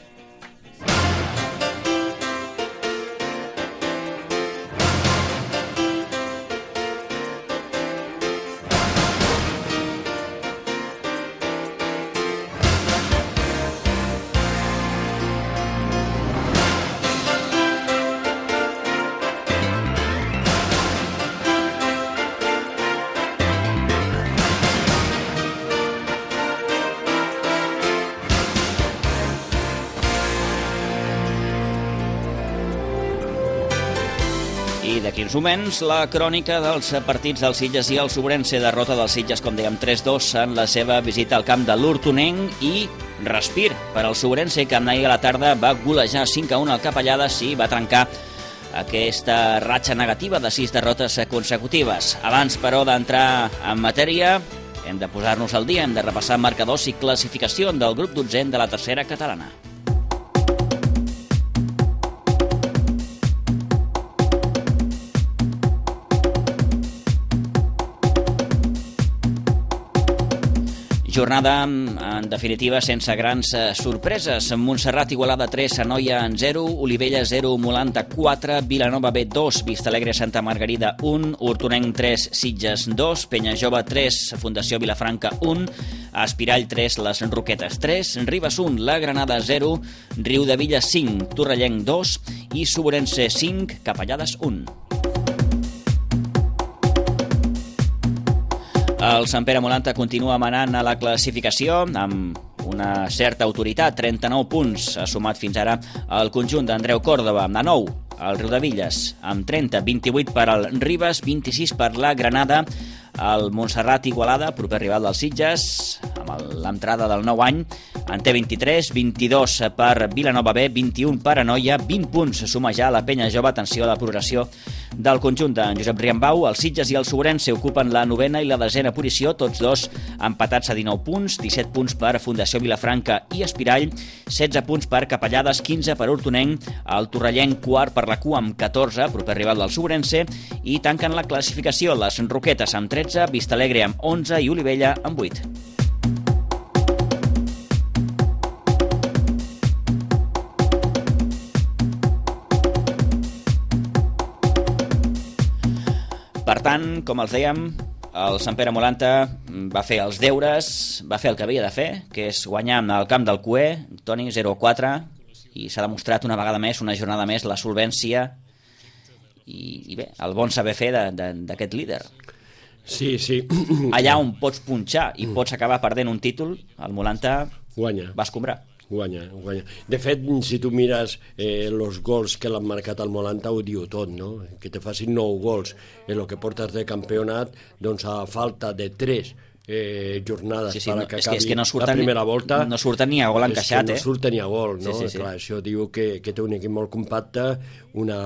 I d'aquí uns moments, la crònica dels partits del Sitges i el Suborense. Derrota del Sitges, com dèiem, tres dos en la seva visita al camp de l'Hortonenc, i respir per al Suborense, que ahir a la tarda va golejar cinc a un al Capellades i va trencar aquesta ratxa negativa de sis derrotes consecutives. Abans, però, d'entrar en matèria, hem de posar-nos al dia, hem de repassar marcadors i classificació del grup dotzè de la tercera catalana. Jornada, en definitiva, sense grans sorpreses. Montserrat Igualada tres, Anoia en zero, Olivella zero, Molanta quatre, Vilanova B dos, Vistalegre Santa Margarida un, Hortonenc tres, Sitges dos, Penyajove tres, Fundació Vilafranca un, Espirall tres, Les Roquetes tres, Ribes un, La Granada zero, Riudavilla cinc, Torrellenc dos i Suborense cinc, Capellades un. El Sant Pere Molanta continua manant a la classificació amb una certa autoritat, trenta-nou punts ha sumat fins ara el conjunt d'Andreu Còrdova. A nou, el Riudevilles amb trenta, vint-i-vuit per al Ribes, vint-i-sis per la Granada, el Montserrat Igualada, proper rival dels Sitges, amb l'entrada del nou any, en té vint-i-tres, vint-i-dos per Vilanova B, vint-i-un per Anoia, vint punts suma ja la Penya Jove. Atenció a la progressió del conjunt de Josep Riambau. Els Sitges i el Suborense ocupen la novena i la desena posició, tots dos empatats a dinou punts, disset punts per Fundació Vilafranca i Espirall, setze punts per Capellades, quinze per Hortonenc, el Torrellenc quart per la cua amb catorze, proper rival del Suborense, i tanquen la classificació les Roquetes amb tretze, Vistalegre amb onze i Olivella amb vuit. Per tant, com els dèiem, el Sant Pere Molanta va fer els deures, va fer el que havia de fer, que és guanyar al camp del Cué, Toni, zero a quatre, i s'ha demostrat una vegada més, una jornada més, la solvència i, i bé, el bon saber fer d'aquest líder.
Sí, sí.
Allà on pots punxar i pots acabar perdent un títol, el Molanta
guanya.
Va escombrar.
Guanya, guanya. De fet, si tu mires eh, els gols que l'han marcat al Molanta, ho diu tot, no? Que te facin nou gols en el que portes de campionat, doncs a falta de tres eh, jornades
sí, sí,
per
no,
que
és
acabi
que, és que no surten,
la primera volta.
No surten ni a gol encaixat,
eh? No surten ni a gol, no?
Sí, sí, sí.
Clar, això diu que, que té un equip molt compacte, una,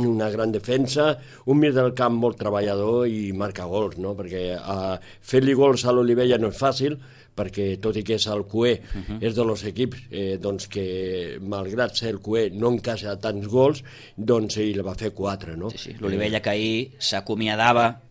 una gran defensa, un mig del camp molt treballador i marca gols, no? Perquè eh, fer-li gols a l'Olivella no és fàcil, perquè tot i que és el Cué, uh -huh. és de los equips eh, doncs que, malgrat ser el Cué, no encaixa tants gols, doncs ell va fer quatre, no?
Sí, sí. L'Olivella, que ahir s'acomiadava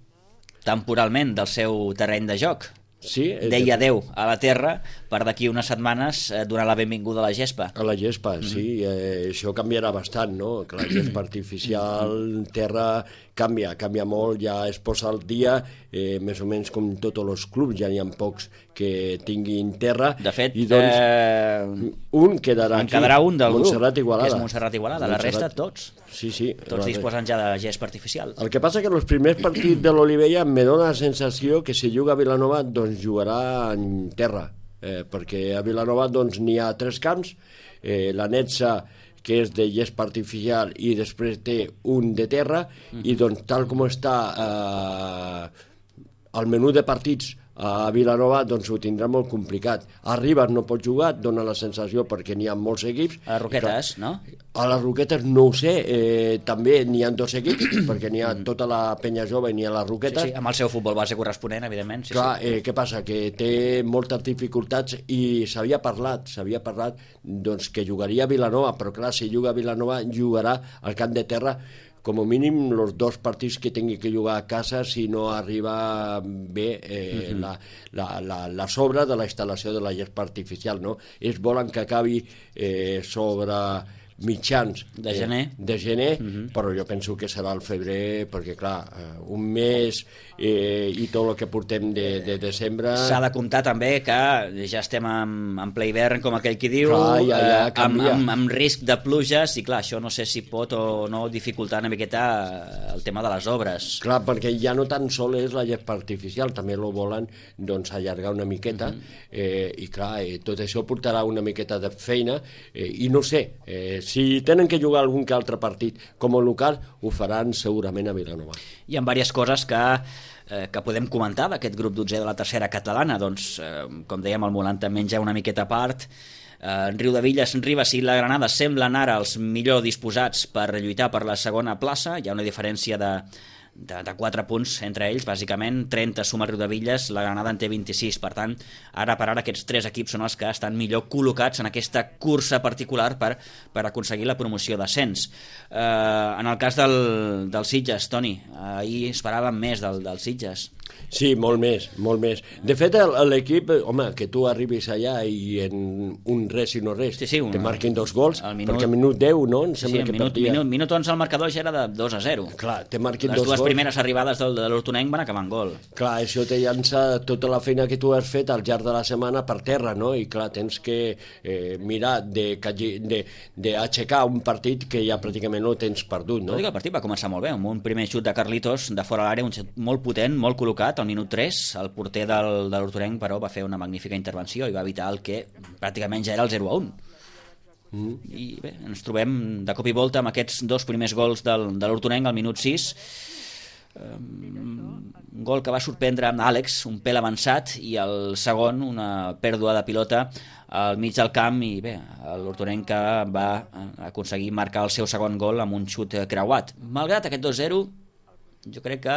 temporalment del seu terreny de joc.
Sí,
deia adeu a la terra per d'aquí unes setmanes eh, donar la benvinguda a la gespa.
A la gespa, mm-hmm. sí. Eh, això canviarà bastant, no? Que la gespa artificial, terra canvia, canvia molt, ja es posa al dia, eh, més o menys com tots els clubs, ja n'hi ha pocs que tinguin terra.
De fet,
i doncs,
eh...
un quedarà
en
aquí,
quedarà un del
Montserrat
grup,
Igualada.
que és Montserrat Igualada, la resta tots.
Sí, sí.
Tots disposen ja de gespa artificial.
El que passa que els primers partits de l'Olivella me dóna la sensació que si juga a Vilanova doncs jugarà en terra, eh, perquè a Vilanova doncs n'hi ha tres camps, eh, la Netza, que és de gespa artificial, i després té un de terra, mm-hmm. i doncs tal com està eh, el menú de partits a Vilanova, doncs ho tindrà molt complicat. A Ribes no pot jugar, dona la sensació perquè n'hi ha molts equips.
A les Roquetes, no?
A les Roquetes no ho sé, eh, també n'hi ha dos equips, perquè n'hi ha tota la penya jove i n'hi ha les Roquetes.
Sí, sí, amb el seu futbol base corresponent, evidentment. Sí,
Clar,
sí.
Eh, què passa? Que té moltes dificultats i s'havia parlat, s'havia parlat doncs, que jugaria a Vilanova, però clar, si juga a Vilanova jugarà al camp de terra com a mínim els dos partits que tingui que jugar a casa si no arriba bé eh, uh-huh. la, la, la, la sobra de la instal·lació de la gespa artificial, no? Ells volen que acabi eh, sobre mitjans
de gener,
eh, de gener
uh-huh.
però jo penso que serà al febrer perquè clar, eh, un mes eh, i tot el que portem de, de desembre...
S'ha de comptar també que ja estem en, en ple hivern, com aquell qui diu,
clar, ja, ja,
eh, amb, amb, amb risc de pluges, i clar, això no sé si pot o no dificultar una miqueta el tema de les obres.
Clar, perquè ja no tan sol és la gespa artificial, també lo volen doncs, allargar una miqueta, uh-huh. eh, i clar, eh, tot això portarà una miqueta de feina, eh, i no sé, eh, si tenen que jugar algun que altre partit com a local, ho faran segurament a Vilanova.
Hi ha diverses coses que, eh, que podem comentar d'aquest grup dotzè de la tercera catalana. Doncs, eh, com dèiem, el Molanta menja una miqueta a part. Eh, Riudevilles, Ribes i la Granada semblen ara els millor disposats per lluitar per la segona plaça. Hi ha una diferència de De, de quatre punts entre ells, bàsicament trenta suma el Riudevilles, la Granada en té vint-i-sis, per tant, ara per ara aquests tres equips són els que estan millor col·locats en aquesta cursa particular per, per aconseguir la promoció d'ascens. Eh, en el cas del, del Sitges, Toni, ahir esperàvem més del, del Sitges.
Sí, molt més, molt més. De fet, l'equip, home, que tu arribis allà i en un res i no res
sí, sí, una,
te marquin dos gols,
minut,
perquè a minut deu, no? Em sembla
sí,
que
minut,
partia...
minut, minut onze el marcador ja era de dos a zero.
Clar, te marquin
Les
dos
dues
gols.
primeres arribades del, de l'Hortonenc van acabar en gol.
Clar, això te llança tota la feina que tu has fet al llarg de la setmana per terra, no? I clar, tens que eh, mirar d'aixecar un partit que ja pràcticament no tens perdut, no?
Tot i que el partit va començar molt bé, amb un primer xut de Carlitos de fora l'àrea, un xut molt potent, molt col·locat, al minut tres. El porter del, de l'Hortonenc, però, va fer una magnífica intervenció i va evitar el que pràcticament ja era el zero a un. Mm. I bé, ens trobem de cop i volta amb aquests dos primers gols del, de l'Hortonenc al minut sis. Um, un gol que va sorprendre amb Àlex, un pèl avançat, i el segon, una pèrdua de pilota al mig del camp, i bé, l'Hortonenc que va aconseguir marcar el seu segon gol amb un xut creuat. Malgrat aquest dos zero, jo crec que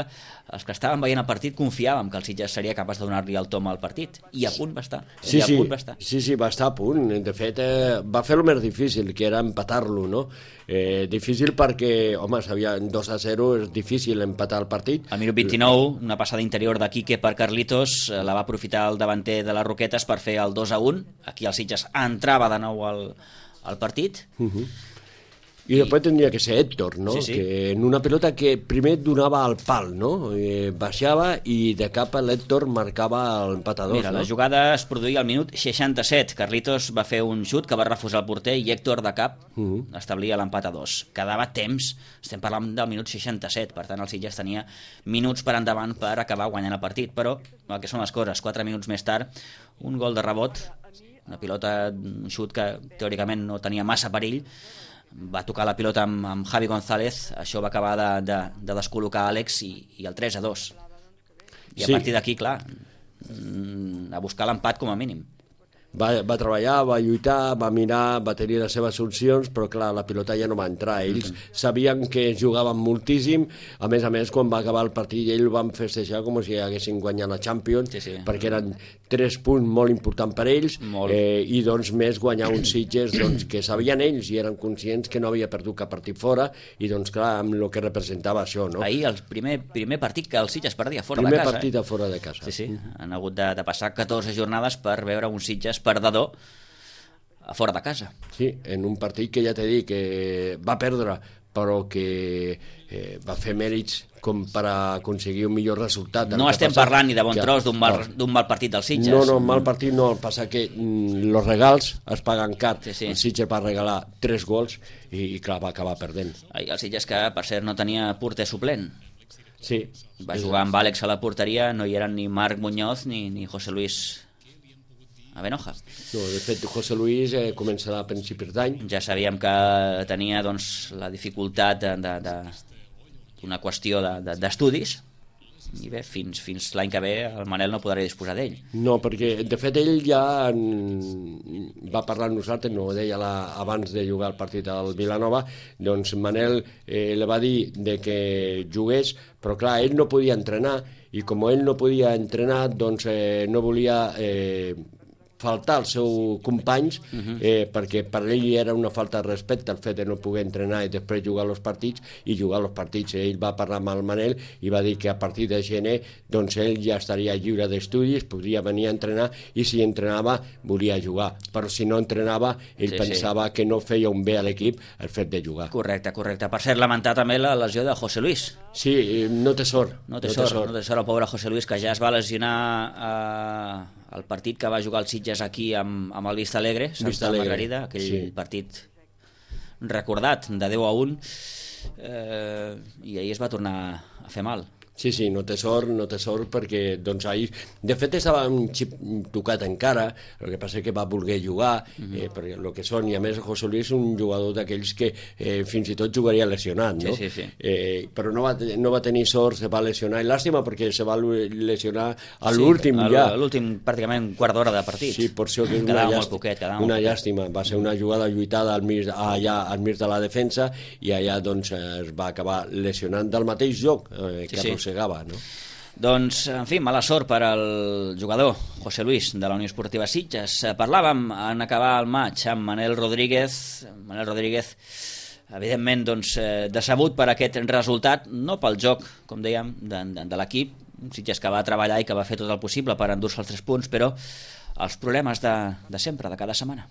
els que estàvem veient el partit confiàvem que el Sitges seria capaç de donar-li el tom al partit, i a punt va estar.
Sí,
a
sí,
punt va estar.
sí, sí, va estar a punt. De fet, eh, va fer el més difícil, que era empatar-lo, no? Eh, difícil perquè, home, sabia, dos a zero és difícil empatar el partit.
Al minut vint-i-nou, una passada interior de Quique per Carlitos, la va aprofitar el davanter de les Roquetes per fer el dos a un. Aquí el Sitges entrava de nou al, al partit.
Uh-huh. I després tindria que ser Héctor, no?
Sí, sí.
Que en una pelota que primer donava al pal, no? Eh, baixava i de cap a l'Héctor marcava l'empat a dos.
Mira,
no?
la jugada es produïa al minut seixanta-set. Carlitos va fer un xut que va refusar el porter i Héctor de cap uh-huh. establia l'empat a dos. Quedava temps, estem parlant del minut seixanta-set, per tant el Sitges tenia minuts per endavant per acabar guanyant el partit, però el que són les coses, quatre minuts més tard, un gol de rebot, una pilota, un xut que teòricament no tenia massa perill, va tocar la pilota amb, amb Javi González, això va acabar de, de, de descol·locar Àlex i, i el tres a dos. I a
sí.
partir d'aquí, clar, a buscar l'empat com a mínim.
Va, va treballar, va lluitar, va mirar, va tenir les seves solucions, però clar, la pilota ja no va entrar. Ells mm-hmm. sabien que jugaven moltíssim, a més a més, quan va acabar el partit, ells van festejar com si haguessin guanyat la Champions,
sí, sí.
perquè eren tres punts molt importants per ells, eh, i doncs més guanyar uns Sitges doncs, que sabien ells i eren conscients que no havia perdut cap partit fora, i doncs clar, amb el que representava això, no?
Ahir el primer, primer partit que el Sitges perdia fora
primer
de casa.
Primer partit
eh?
a fora de casa.
Sí, sí, han hagut de, de passar catorze jornades per veure un Sitges perdedor a fora de casa.
Sí, en un partit que ja t'he dit que va perdre, però que eh, va fer mèrits com per aconseguir un millor resultat.
No estem
passa,
parlant ni de bon
que,
tros d'un mal, d'un mal partit del Sitges.
No, no, mal partit no, el passa que mm, los regals es paguen car.
Sí, sí.
El Sitges va regalar tres gols i, i clar, va acabar perdent.
Ai, el Sitges que, per cert, no tenia porter suplent.
Sí.
Va jugar amb Àlex a la porteria, no hi eren ni Marc Muñoz ni, ni José Luis Avenoja.
No, de fet, José Luis eh, començarà a principis d'any.
Ja sabíem que tenia doncs, la dificultat de, de, de, una qüestió d'estudis, de, de, i bé, fins, fins l'any que ve el Manel no podrà disposar d'ell.
No, perquè de fet ell ja en... va parlar amb nosaltres, no ho deia la... abans de jugar el partit al Vilanova, doncs Manel eh, li va dir de que jugués, però clar, ell no podia entrenar, i com ell no podia entrenar, doncs eh, no volia... Eh, faltar als seus companys, uh-huh. eh, perquè per ell era una falta de respecte el fet de no poder entrenar i després jugar als partits, i jugar als partits. Ell va parlar amb el Manel i va dir que a partir de gener doncs ell ja estaria lliure d'estudis, podria venir a entrenar, i si entrenava volia jugar, però si no entrenava ell sí, pensava sí. que no feia un bé a l'equip el fet de jugar.
Correcte, correcte. Per cert, lamentar també la lesió de José Luis.
Sí, no té sort.
No té, no sort, té sort, no té sort el pobre José Luis, que ja es va lesionar eh, el partit que va jugar el Sitges aquí amb, amb el Vista Alegre, Santa Margarida, aquell sí. partit recordat de deu a un, eh, i ahir es va tornar a fer mal.
Sí, sí, no té sort, no té sort perquè doncs ahir, de fet estava un xip tocat encara, el que passa que va voler jugar, uh-huh. eh, perquè el que són, i a més José Luis és un jugador d'aquells que eh, fins i tot jugaria lesionat, no?
Sí, sí, sí.
Eh, però no va, no va tenir sort, se va lesionar, i làstima perquè se va lesionar a l'últim
sí,
ja.
A l'últim pràcticament quart d'hora de partit.
Sí, per això que és
quedava
una,
molt poquet, quedava
una
molt
llàstima, va ser una jugada lluitada al mig, allà al mig de la defensa, i allà doncs es va acabar lesionant del mateix joc eh, que sí, arrossegava, no?
Doncs, en fi, mala sort per al jugador José Luis de la Unió Esportiva Sitges. Parlàvem en acabar el maig amb Manel Rodríguez. Manel Rodríguez, evidentment, doncs, decebut per aquest resultat, no pel joc, com dèiem, de, de, de l'equip. Sitges que va treballar i que va fer tot el possible per endur-se els tres punts, però els problemes de, de sempre, de cada setmana.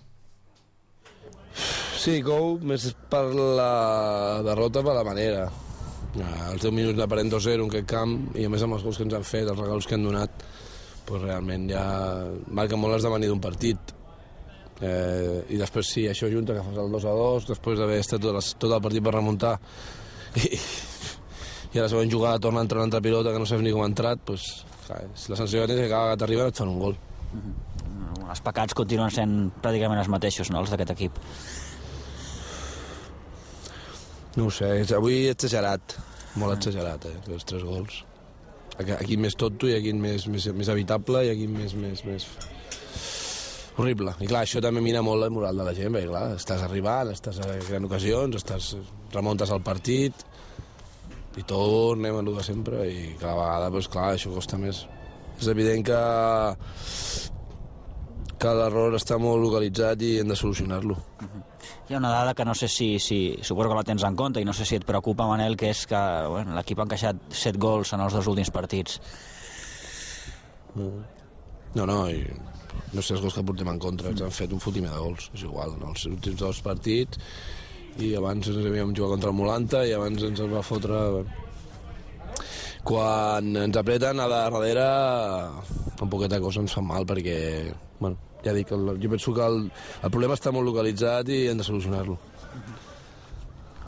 Sí, Cou, més per la derrota, per la manera. Els deu minuts d'aparent dos zero en aquest camp, i a més amb els gols que ens han fet, els regals que han donat, doncs realment ja marca molt l'esdevenir d'un partit. Eh, I després sí, això junta que fas el dos a dos, després d'haver estat tot, les, tot el partit per remuntar, i, i a la següent jugada torna a entrar una altra pilota que no saps ni com ha entrat, doncs, clar, la sensació que tens és que cada que t'arriba et fan un gol.
Mm-hmm. Els pecats continuen sent pràcticament els mateixos, no?, els d'aquest equip.
No ho sé, avui he exagerat, molt exagerat, eh, els tres gols. Aquí més tonto i aquí més, més, més evitable i aquí més, més, més... horrible. I clar, això també mina molt la moral de la gent, perquè clar, estàs arribant, estàs creant ocasions, estàs, remuntes al partit i tornem a l'u de sempre, i cada vegada, doncs clar, això costa més. És evident que, que l'error està molt localitzat i hem de solucionar-lo.
Uh-huh. Hi ha una dada que no sé si, si suposo que la tens en compte i no sé si et preocupa, Manel, que és que bueno, l'equip ha encaixat set gols en els dos últims partits.
No, no, i no sé els gols que portem en contra, ens han fet un fotimer de gols, és igual, en els últims dos partits, i abans ens havíem jugat contra el Molanta i abans ens va fotre... Quan ens apreten a darrere, un poquet de cosa ens fa mal perquè, bueno, ja dic, el, jo penso que el, el problema està molt localitzat i hem de solucionar-lo.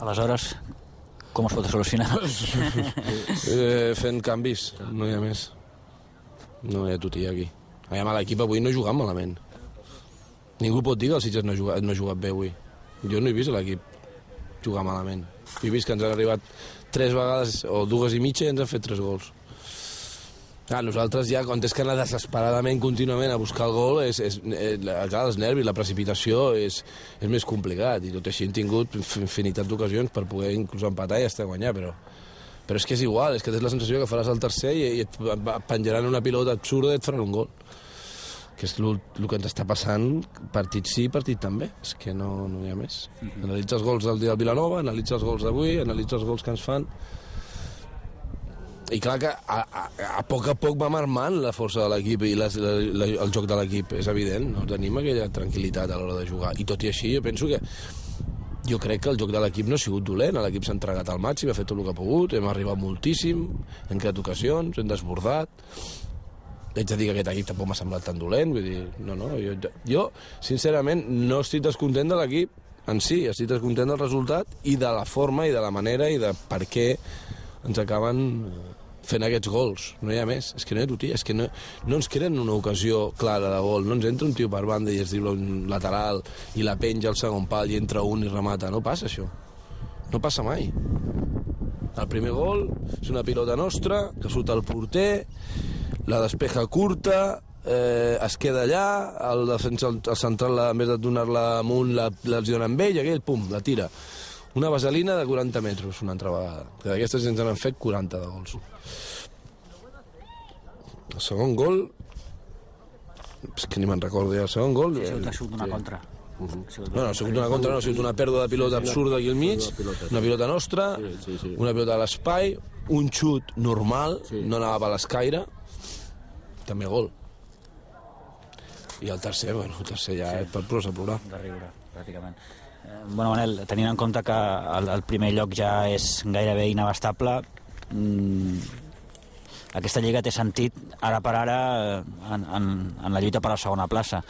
Aleshores, com es pot solucionar?
eh, fent canvis, no hi ha més. No hi ha tutia aquí. Aviam, a l'equip avui no ha jugat malament. Ningú pot dir que el Sitges no ha jugat, no ha jugat bé avui. Jo no he vist l'equip jugar malament. He vist que ens han arribat tres vegades, o dues i mitja, i ens han fet tres gols. Clar, nosaltres ja, quan és que anar desesperadament contínuament a buscar el gol, és, és, és, clar, els nervis, la precipitació és, és més complicat, i tot així hem tingut infinitat d'ocasions per poder inclús empatar i estar a guanyar, però, però és que és igual, és que tens la sensació que faràs el tercer i, i et penjaran una pilota absurda i et faran un gol, que és el que ens està passant partit sí, partit també, és que no, no hi ha més. Analitza els gols del dia del Vilanova, analitza els gols d'avui, analitza els gols que ens fan. I clar que a, a, a poc a poc va marmant la força de l'equip i la, la, la, el joc de l'equip, és evident, no tenim aquella tranquil·litat a l'hora de jugar, i tot i així jo penso que jo crec que el joc de l'equip no ha sigut dolent, l'equip s'ha entregat al màxim, ha fet tot el que ha pogut, hem arribat moltíssim, hem creat ocasions, hem desbordat. Haig de dir que aquest equip tampoc m'ha semblat tan dolent, vull dir, no, no, jo, jo sincerament no estic descontent de l'equip en si, estic descontent del resultat i de la forma i de la manera i de per què ens acaben fent aquests gols, no hi ha més, és que no hi ha tutia, és que no, no ens creen una ocasió clara de gol, no ens entra un tio per banda i es diu un lateral i la penja al segon pal i entra un i remata, no passa això, no passa mai. El primer gol és una pilota nostra que surt al porter, la despeja curta, eh, es queda allà, el defensa, el central, en vez de donar-la amunt, la, la dona amb ell, i aquell, pum, la tira. Una vaselina de quaranta metres, una altra vegada. Que d'aquestes ens han fet quaranta de gols. El segon gol... És que ni me'n recordo ja. El segon gol...
Sí, ha sigut una contra.
No, no, ha sigut una contra, no, ha sigut una pèrdua de pilota absurda aquí al mig, una pilota nostra, una pilota a l'espai, un xut normal, no anava per l'escaire, també gol. I el tercer, bueno, el tercer ja és per plorar a plorar.
De riure, pràcticament. Bueno, Manel, tenint en compte que el, el primer lloc ja és gairebé inabastable, mmm, aquesta lliga té sentit ara per ara en, en, en la lluita per la segona plaça.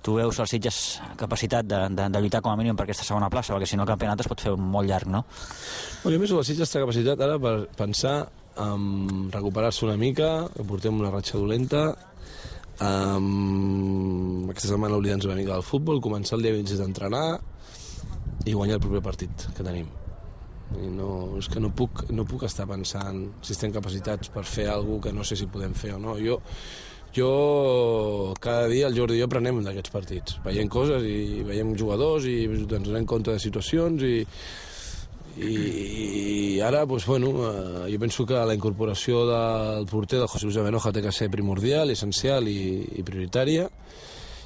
Tu veus els Sitges capacitat de, de, de lluitar com a mínim per aquesta segona plaça, perquè si no el campionat es pot fer molt llarg, no?
Bueno, jo penso que el Sitges té capacitat ara per pensar en recuperar-se una mica, que portem una ratxa dolenta, um, aquesta setmana oblidar-nos una mica del futbol, començar el dia vint-i-sis d'entrenar i guanyar el proper partit que tenim. I no, és que no puc, no puc estar pensant si estem capacitats per fer alguna cosa que no sé si podem fer o no. Jo, jo cada dia el Jordi i jo aprenem d'aquests partits. Veiem coses i veiem jugadors i ens donem compte de situacions i, i, i ara, doncs, bueno, eh, jo penso que la incorporació del porter del José Luis Abenoja té que ser primordial, essencial i, i prioritària.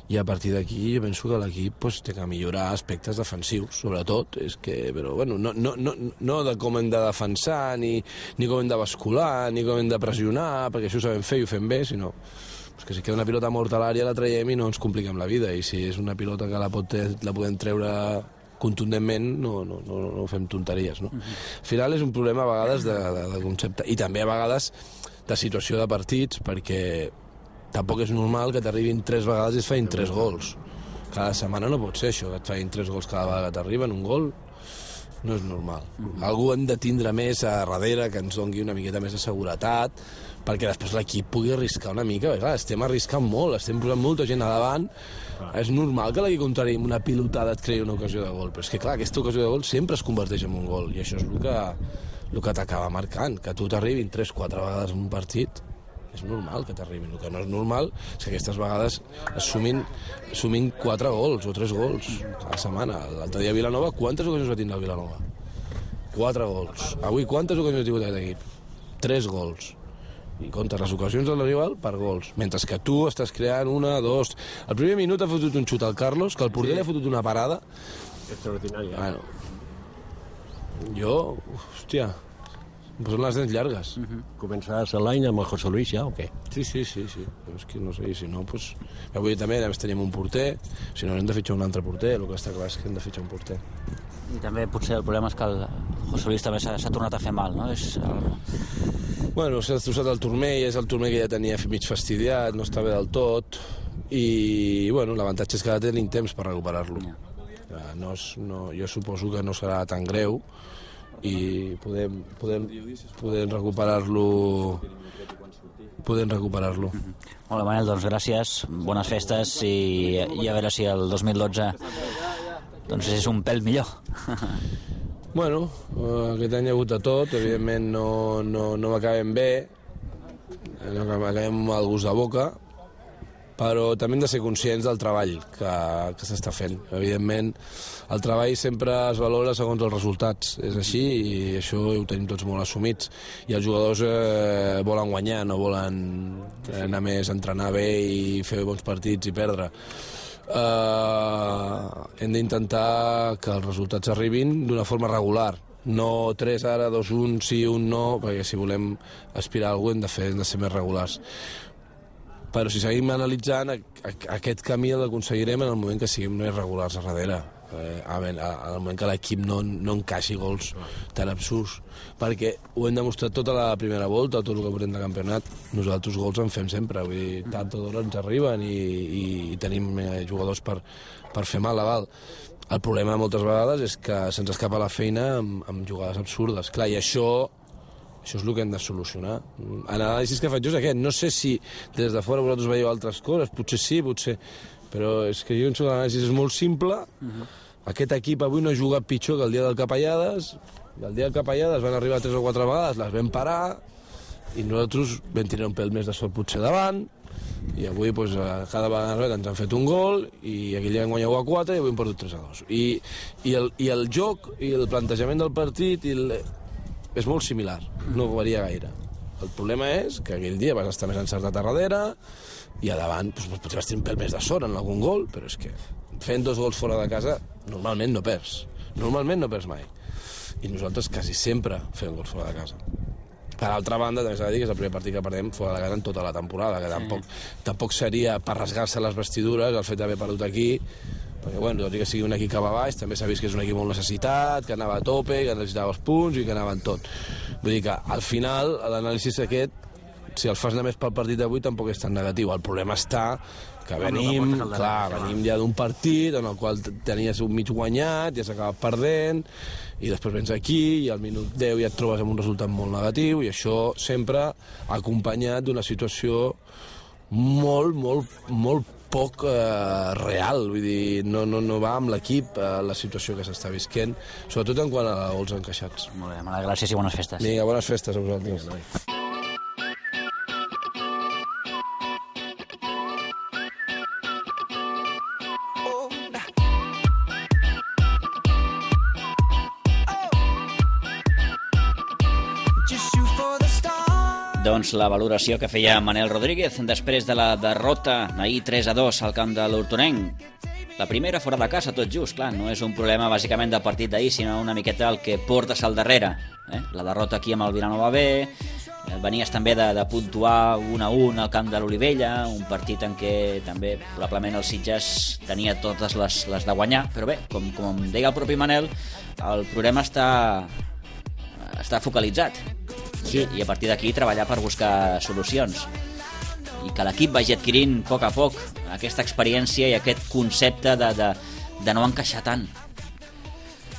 I a partir d'aquí jo penso que l'equip pues, té que millorar aspectes defensius, sobretot. És que, però, bueno, no, no, no, no de com hem de defensar, ni, ni com hem de bascular, ni com hem de pressionar, perquè això ho sabem fer i ho fem bé, sinó pues, que si queda una pilota morta a l'àrea la traiem i no ens compliquem la vida. I si és una pilota que la, pot, la podem treure contundentment, no, no, no, no fem tonteries. No? Uh-huh. Al final és un problema a vegades de, de, de concepte, i també a vegades de situació de partits, perquè tampoc és normal que t'arribin tres vegades i es feien tres gols. Cada setmana no pot ser això, que et feien tres gols cada vegada que t'arriben, un gol, no és normal. Mm-hmm. Algú hem de tindre més a darrere, que ens doni una miqueta més de seguretat, perquè després l'equip pugui arriscar una mica. Clar, estem arriscant molt, estem posant molta gent a davant. Ah. És normal que l'equip contrari amb una pilotada et creï una ocasió de gol, però és que clar, aquesta ocasió de gol sempre es converteix en un gol, i això és el que, el que t'acaba marcant, que tu t'arribin tres quatre vegades en un partit. És normal que t'arribin. El que no és normal és que aquestes vegades es sumin, sumin quatre gols o tres gols a la setmana. L'altre dia a Vilanova, quantes ocasions va tindre el Vilanova? Quatre gols. Avui, quantes ocasions ha tingut aquest equip? Tres gols. I comptes les ocasions del rival per gols. Mentre que tu estàs creant una, dos... El primer minut ha fotut un xut al Carlos, que el porter sí. li ha fotut una parada.
Extraordinària.
Bueno, jo, hòstia... Em posen les dents llargues.
Uh-huh. Començaràs l'any amb el José Luis ja o què?
Sí, sí, sí, sí. Però és que no sé, si no, doncs... Avui també tenim un porter, si no hem de fitxar un altre porter, el que està clar és que hem de fitxar un porter.
I també potser el problema és que el José Luis també s'ha tornat a fer mal, no? És el...
Bueno, s'ha destrossat el turmell, és el turmell que ja tenia mig fastidiat, no està bé del tot, i, bueno, l'avantatge és que ara tenim temps per recuperar-lo. Yeah. No és, no, jo suposo que no serà tan greu, i podem, podem, podem recuperar-lo podem recuperar-lo.
Molt bé, Manel, doncs gràcies, bones festes i, i a veure si el dos mil dotze doncs és un pèl millor.
Bueno, aquest any hi ha hagut de tot, evidentment no, no, no m'acabem bé, no acabem amb el gust de boca, però també hem de ser conscients del treball que, que s'està fent. Evidentment, el treball sempre es valora segons els resultats. És així i això ho tenim tots molt assumits. I els jugadors eh, volen guanyar, no volen anar més a entrenar bé i fer bons partits i perdre. Eh, hem d'intentar que els resultats arribin d'una forma regular. No tres ara, dos un, sí, un no, perquè si volem aspirar a alguna cosa hem de, fer, hem de ser més regulars. Però si seguim analitzant, aquest camí l'aconseguirem en el moment que siguem més regulars a darrere. eh, en el moment que l'equip no, no encaixi gols tan absurds, perquè ho hem demostrat tota la primera volta, tot el que portem de campionat, nosaltres gols en fem sempre, vull dir, tant o d'hora ens arriben i, i, i tenim eh, jugadors per, per fer mal a dalt. El problema moltes vegades és que se'ns escapa la feina amb, amb jugades absurdes. Clar, i això, això és el que hem de solucionar. L'anàlisi que faig jo és aquest. No sé si des de fora vosaltres veieu altres coses, potser sí, potser... Però és que jo penso que l'anàlisi és molt simple. Uh-huh. Aquest equip avui no ha jugat pitjor que el dia del Capellades. El dia del Capellades van arribar tres o quatre vegades, les vam parar, i nosaltres vam tirar un pèl més de sort potser davant, i avui doncs, cada vegada ens han fet un gol i aquell dia vam guanyar u a quatre i avui hem perdut tres a dos. I, i, el, i el joc i el plantejament del partit i el... és molt similar, no varia gaire. El problema és que aquell dia vas estar més encertat a darrere i a davant doncs, potser vas tenir un pèl més de sort en algun gol, però és que fent dos gols fora de casa normalment no perds, normalment no perds mai, i nosaltres quasi sempre fem gols fora de casa. Per altra banda, també s'ha de dir que és el primer partit que perdem fora de casa en tota la temporada, que tampoc, tampoc seria per rasgar-se les vestidures el fet d'haver perdut aquí, perquè, bueno, tot i que sigui un equip que va baix, també s'ha vist que és un equip molt necessitat, que anava a tope, que necessitava els punts i que anava en tot. Vull dir que, al final, l'anàlisi aquest, si el fas només pel partit d'avui, tampoc és tan negatiu. El problema està que venim, clar, venim ja d'un partit en el qual tenies un mig guanyat, ja s'acaba perdent, i després vens aquí i al minut deu ja et trobes amb un resultat molt negatiu, i això sempre acompanyat d'una situació molt, molt, molt poc eh, real, vull dir, no, no, no va amb l'equip eh, la situació que s'està visquent, sobretot en quant a gols encaixats.
Molt bé, mala gràcies i bones festes.
Vinga, bones festes a vosaltres.
Doncs la valoració que feia Manel Rodríguez després de la derrota ahir tres a dos al camp de l'Hortonenc. La primera fora de casa, tot just, clar, no és un problema bàsicament del partit d'ahir, sinó una miqueta el que portes al darrere. Eh? La derrota aquí amb el Vilanova B, venies també de, de puntuar un a un al camp de l'Olivella, un partit en què també probablement el Sitges tenia totes les, les de guanyar, però bé, com, com deia el propi Manel, el problema està, està focalitzat. Sí. I a partir d'aquí treballar per buscar solucions i que l'equip vagi adquirint a poc a poc aquesta experiència i aquest concepte de, de, de no encaixar tant.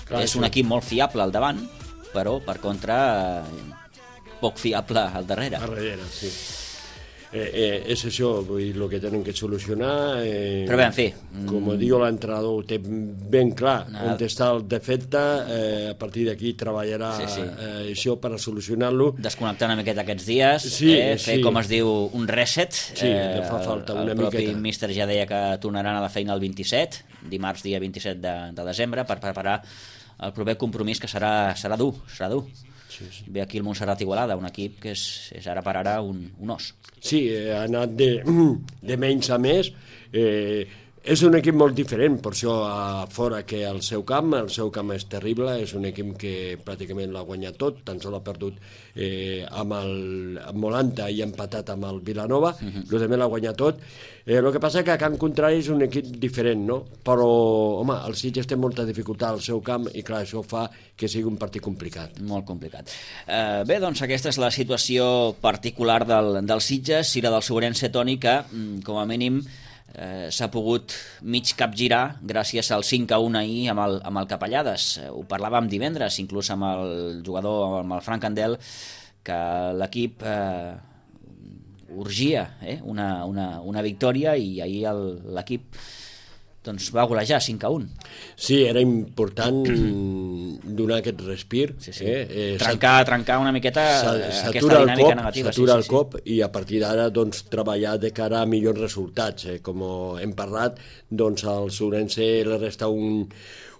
Clar, és un sí. equip molt fiable al davant, però per contra poc fiable al darrere.
Al darrere, sí. Eh, eh, és això, vull dir, el que tenen que solucionar. Eh,
Però bé, en fi...
Com mm... diu l'entrenador, ho té ben clar, no. on està el defecte, eh, a partir d'aquí treballarà sí, sí. Eh, això per solucionar-lo.
Desconnectar una miqueta aquests dies,
sí,
eh, fer, sí. com es diu, un reset.
Sí, eh, fa falta una miqueta.
El propi míster ja deia que tornaran a la feina el vint-i-set, dimarts dia vint-i-set de, de desembre, per preparar el proper compromís, que serà, serà dur, serà dur. Sí, sí. Ve aquí el Montserrat Igualada, un equip que és, és ara per ara un, un os.
Sí, ha anat de, de menys a més. Eh, és un equip molt diferent, per això a fora que al seu camp. El seu camp és terrible, és un equip que pràcticament l'ha guanyat tot, tan sols ha perdut eh, amb el amb Molanta i ha empatat amb el Vilanova, uh-huh. el també l'ha guanyat tot. Eh, el que passa que a camp contrari és un equip diferent, no? Però, home, el Sitges té molta dificultat al seu camp i, clar, això fa que sigui un partit complicat.
Molt complicat. Eh, bé, doncs aquesta és la situació particular del, del Sitges i la del Sobrense, Toni, que, com a mínim, eh, s'ha pogut mig capgirar gràcies al cinc a un ahir amb el, amb el Capellades. Eh, ho parlàvem divendres, inclús amb el jugador, amb el Frank Candel, que l'equip... Eh, urgia eh? una, una, una victòria i ahir el, l'equip doncs, va golejar cinc a un.
Sí, era important donar aquest respir.
Sí, sí.
Eh? Eh,
trencar, trencar una miqueta aquesta dinàmica negativa.
S'atura
sí,
el
sí,
cop
sí.
i a partir d'ara doncs, treballar de cara a millors resultats. Eh? Com hem parlat, doncs, al Sobrense li resta un,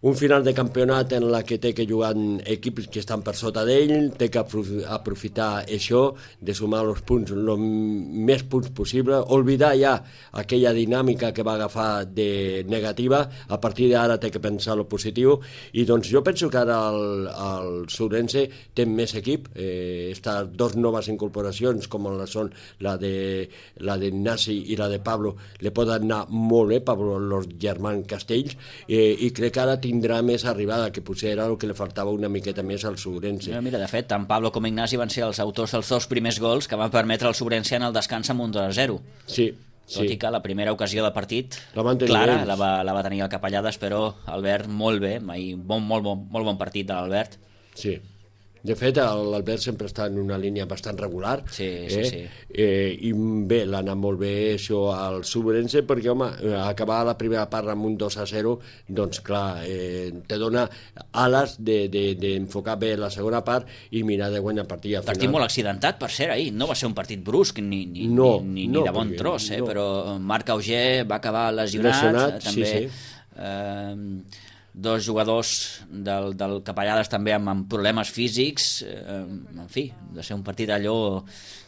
un final de campionat en la que té que jugar equips que estan per sota d'ell, té que aprofitar això, de sumar els punts, el més punts possible, oblidar ja aquella dinàmica que va agafar de negativa, a partir d'ara té que pensar lo positiu, i doncs jo penso que ara el, el Sourense té més equip, eh, estas dos noves incorporacions, com la són la de la de Nasi i la de Pablo, le poden anar molt bé, Pablo, los germans Castells, eh, i crec que ara tindrà més arribada, que potser era el que li faltava una miqueta més al Sourense.
Mira, mira, de fet, tant Pablo com Ignasi van ser els autors dels dos primers gols que van permetre al Sourense en el descans amb un dos a zero.
Sí,
tot
sí.
i que la primera ocasió de partit
la
clara la va, la va tenir el Capellades, però Albert molt bé, mai, bon, molt, bon, molt bon partit de l'Albert.
Sí. De fet, l'Albert sempre està en una línia bastant regular.
Sí,
eh?
sí, sí.
Eh, I bé, l'ha anat molt bé això al Sourense, perquè, home, acabar la primera part amb un dos a zero, doncs, clar, eh, te dona ales d'enfocar de, de, bé la segona part i mirar de guanyar partit.
Partit molt accidentat, per cert, ahir. No va ser un partit brusc, ni, ni,
no,
ni, ni,
no,
ni de bon tros, eh?
No.
Però Marc Auger va acabar lesionat.
Lesionat,
també,
sí, sí.
Eh, dos jugadors del, del Capellades també amb, amb problemes físics, eh, en fi, de ser un partit allò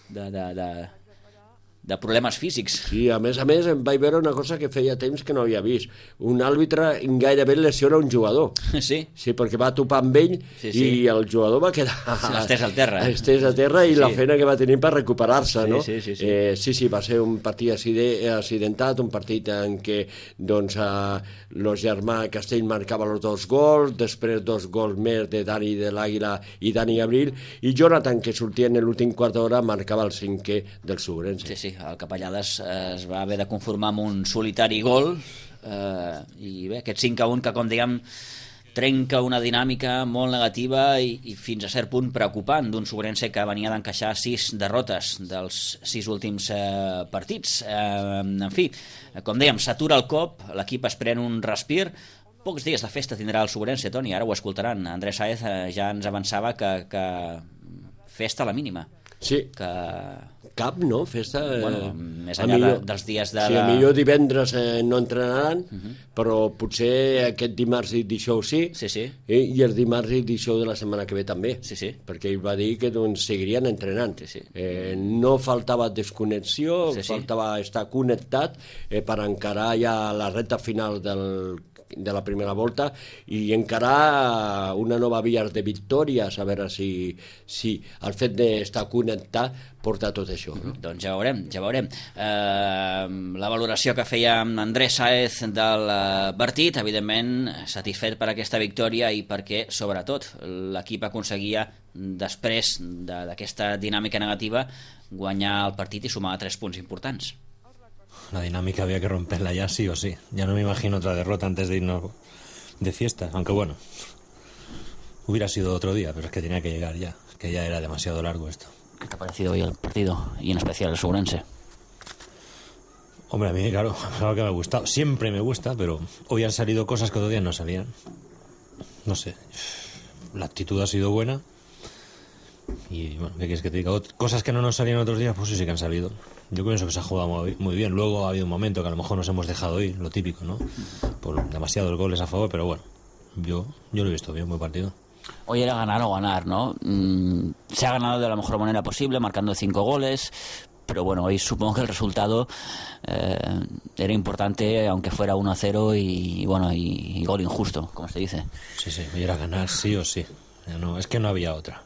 de, de, de, de problemes físics.
Sí, a més a més em vaig veure una cosa que feia temps que no havia vist. Un àrbitre gairebé lesiona un jugador.
Sí?
Sí, perquè va topar amb ell,
sí, sí.
I el jugador va quedar...
Estès al terra.
Estès a terra i
sí.
La feina que va tenir per recuperar-se,
sí,
no?
Sí, sí, sí.
Eh, sí, sí, va ser un partit accidentat, un partit en què doncs, eh, los germà Castell marcava els dos gols, després dos gols més de Dani de l'Àguila i Dani Abril, i Jonathan, que sortia en l'últim quart d'hora, marcava el cinquè del Sourense.
Sí, sí, el Capellades es va haver de conformar amb un solitari gol, eh, i bé, aquest cinc a un que, com diguem, trenca una dinàmica molt negativa i, i fins a cert punt preocupant d'un Sourense que venia d'encaixar sis derrotes dels sis últims eh, partits. Eh, en fi, com dèiem, s'atura el cop, l'equip es pren un respir. Pocs dies de festa tindrà el Sourense, Toni, ara ho escoltaran. Andrés Sáez eh, ja ens avançava que, que festa a la mínima.
Sí,
que...
cap, no? Festa... Eh,
bueno, més enllà millor, de, dels dies de...
Sí,
la...
millor divendres eh, no entrenaran, uh -huh. però potser aquest dimarts i dijous sí,
sí, sí.
Eh, i el dimarts i dijous de la setmana que ve també,
sí, sí.
perquè ell va dir que doncs, seguirien entrenant.
Sí, sí.
Eh, no faltava desconnexió,
sí, sí.
faltava estar connectat eh, per encarar ja la recta final del de la primera volta i encarar una nova via de victòries, a veure si, si el fet d'estar connectat porta tot això. No?
Doncs ja veurem, ja veurem. Eh, la valoració que feia Andrés Sáez del partit, evidentment satisfet per aquesta victòria i perquè, sobretot, l'equip aconseguia, després d'aquesta dinàmica negativa, guanyar el partit i sumar tres punts importants.
La dinámica había que romperla ya sí o sí. Ya no me imagino otra derrota antes de irnos de fiesta, aunque bueno, hubiera sido otro día, pero es que tenía que llegar ya, que ya era demasiado largo esto.
¿Qué te ha parecido hoy el partido y en especial el Sourense?
Hombre, a mí, claro, es algo que me ha gustado. Siempre me gusta, pero hoy han salido cosas que otros días no salían. No sé, la actitud ha sido buena y, bueno, ¿qué quieres que te diga? Cosas que no nos salían otros días, pues sí, sí que han salido. Yo pienso que se ha jugado muy bien. Luego ha habido un momento que a lo mejor nos hemos dejado ir, lo típico, ¿no? Por demasiados goles a favor, pero bueno, yo, yo lo he visto bien, buen partido.
Hoy era ganar o ganar, ¿no? Mm, se ha ganado de la mejor manera posible, marcando cinco goles, pero bueno, hoy supongo que el resultado eh, era importante, aunque fuera uno a cero y, y bueno, y, y gol injusto, como se dice.
Sí, sí, hoy era ganar sí o sí. No, es que no había otra.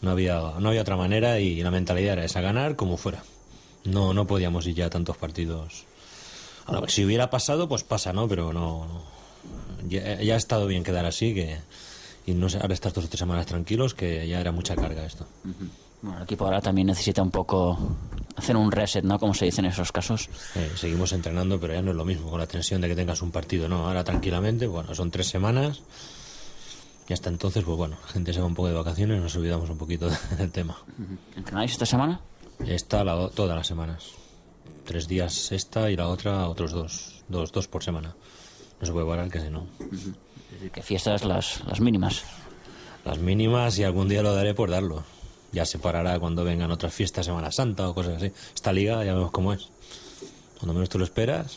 No había, no había otra manera y la mentalidad era esa, ganar como fuera. No, no podíamos ir ya a tantos partidos. Ahora, si hubiera pasado, pues pasa, ¿no? Pero no, no. Ya, ya ha estado bien quedar así, que y no sé, ahora estar dos o tres semanas tranquilos, que ya era mucha carga esto.
Uh-huh. Bueno, el equipo ahora también necesita un poco hacer un reset, ¿no? Como se dice en esos casos.
Eh, seguimos entrenando, pero ya no es lo mismo con la tensión de que tengas un partido, ¿no? Ahora tranquilamente, bueno, son tres semanas y hasta entonces, pues bueno, la gente se va un poco de vacaciones y nos olvidamos un poquito del tema.
Uh-huh. ¿Entrenáis esta semana?
Esta la, todas las semanas. Tres días esta y la otra otros dos. Dos, dos por semana. No se puede parar, que si no.
Uh-huh. Es decir, que fiestas las, las mínimas.
Las mínimas, y algún día lo daré por darlo. Ya se parará cuando vengan otras fiestas, Semana Santa o cosas así. Esta liga ya vemos cómo es. Cuando menos tú lo esperas,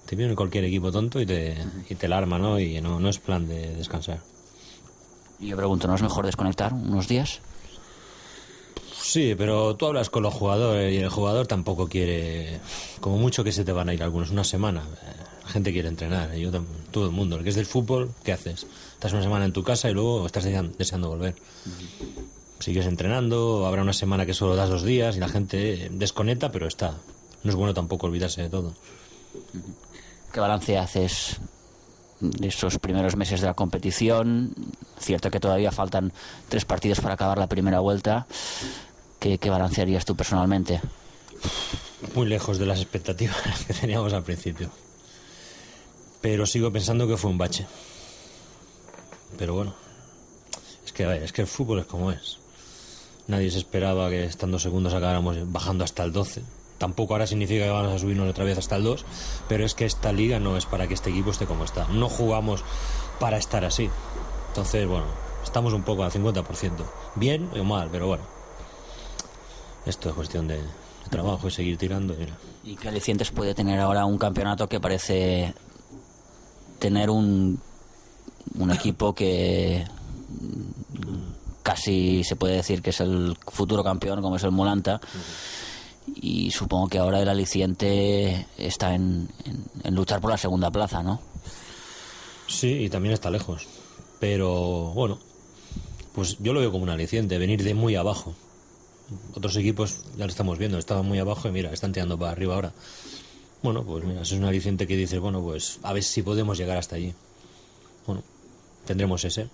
Te viene cualquier equipo tonto y te, y te la arma, ¿no? Y no, no es plan de descansar.
Y yo pregunto, ¿no es mejor desconectar unos días?
Sí, pero tú hablas con los jugadores y el jugador tampoco quiere, como mucho que se te van a ir algunos, una semana. La gente quiere entrenar, yo, todo el mundo. El que es del fútbol, ¿qué haces? Estás una semana en tu casa y luego estás deseando volver. Sigues entrenando, habrá una semana que solo das dos días y la gente desconecta, pero está. No es bueno tampoco olvidarse de todo.
¿Qué balance haces de esos primeros meses de la competición? Cierto que todavía faltan tres partidos para acabar la primera vuelta. ¿Qué, qué balance harías tú personalmente?
Muy lejos de las expectativas que teníamos al principio. Pero sigo pensando que fue un bache. Pero bueno, es que, a ver, es que el fútbol es como es. Nadie se esperaba que estando segundos acabáramos bajando hasta el doce. Tampoco ahora significa que vamos a subirnos otra vez hasta el dos, pero es que esta liga no es para que este equipo esté como está. No jugamos para estar así. Entonces, bueno, estamos un poco al cincuenta por ciento. Bien o mal, pero bueno. Esto es cuestión de, de trabajo y seguir tirando. Mira.
¿Y qué alicientes puede tener ahora un campeonato que parece tener un, un equipo que casi se puede decir que es el futuro campeón, como es el Mulanta? Y supongo que ahora el aliciente está en, en, en luchar por la segunda plaza, ¿no?
Sí, y también está lejos. Pero, bueno, pues yo lo veo como un aliciente, venir de muy abajo. Otros equipos, ya lo estamos viendo, estaban muy abajo y mira, están tirando para arriba ahora. Bueno, pues mira, eso es un aliciente que dices, bueno, pues a ver si podemos llegar hasta allí. Bueno, tendremos ese.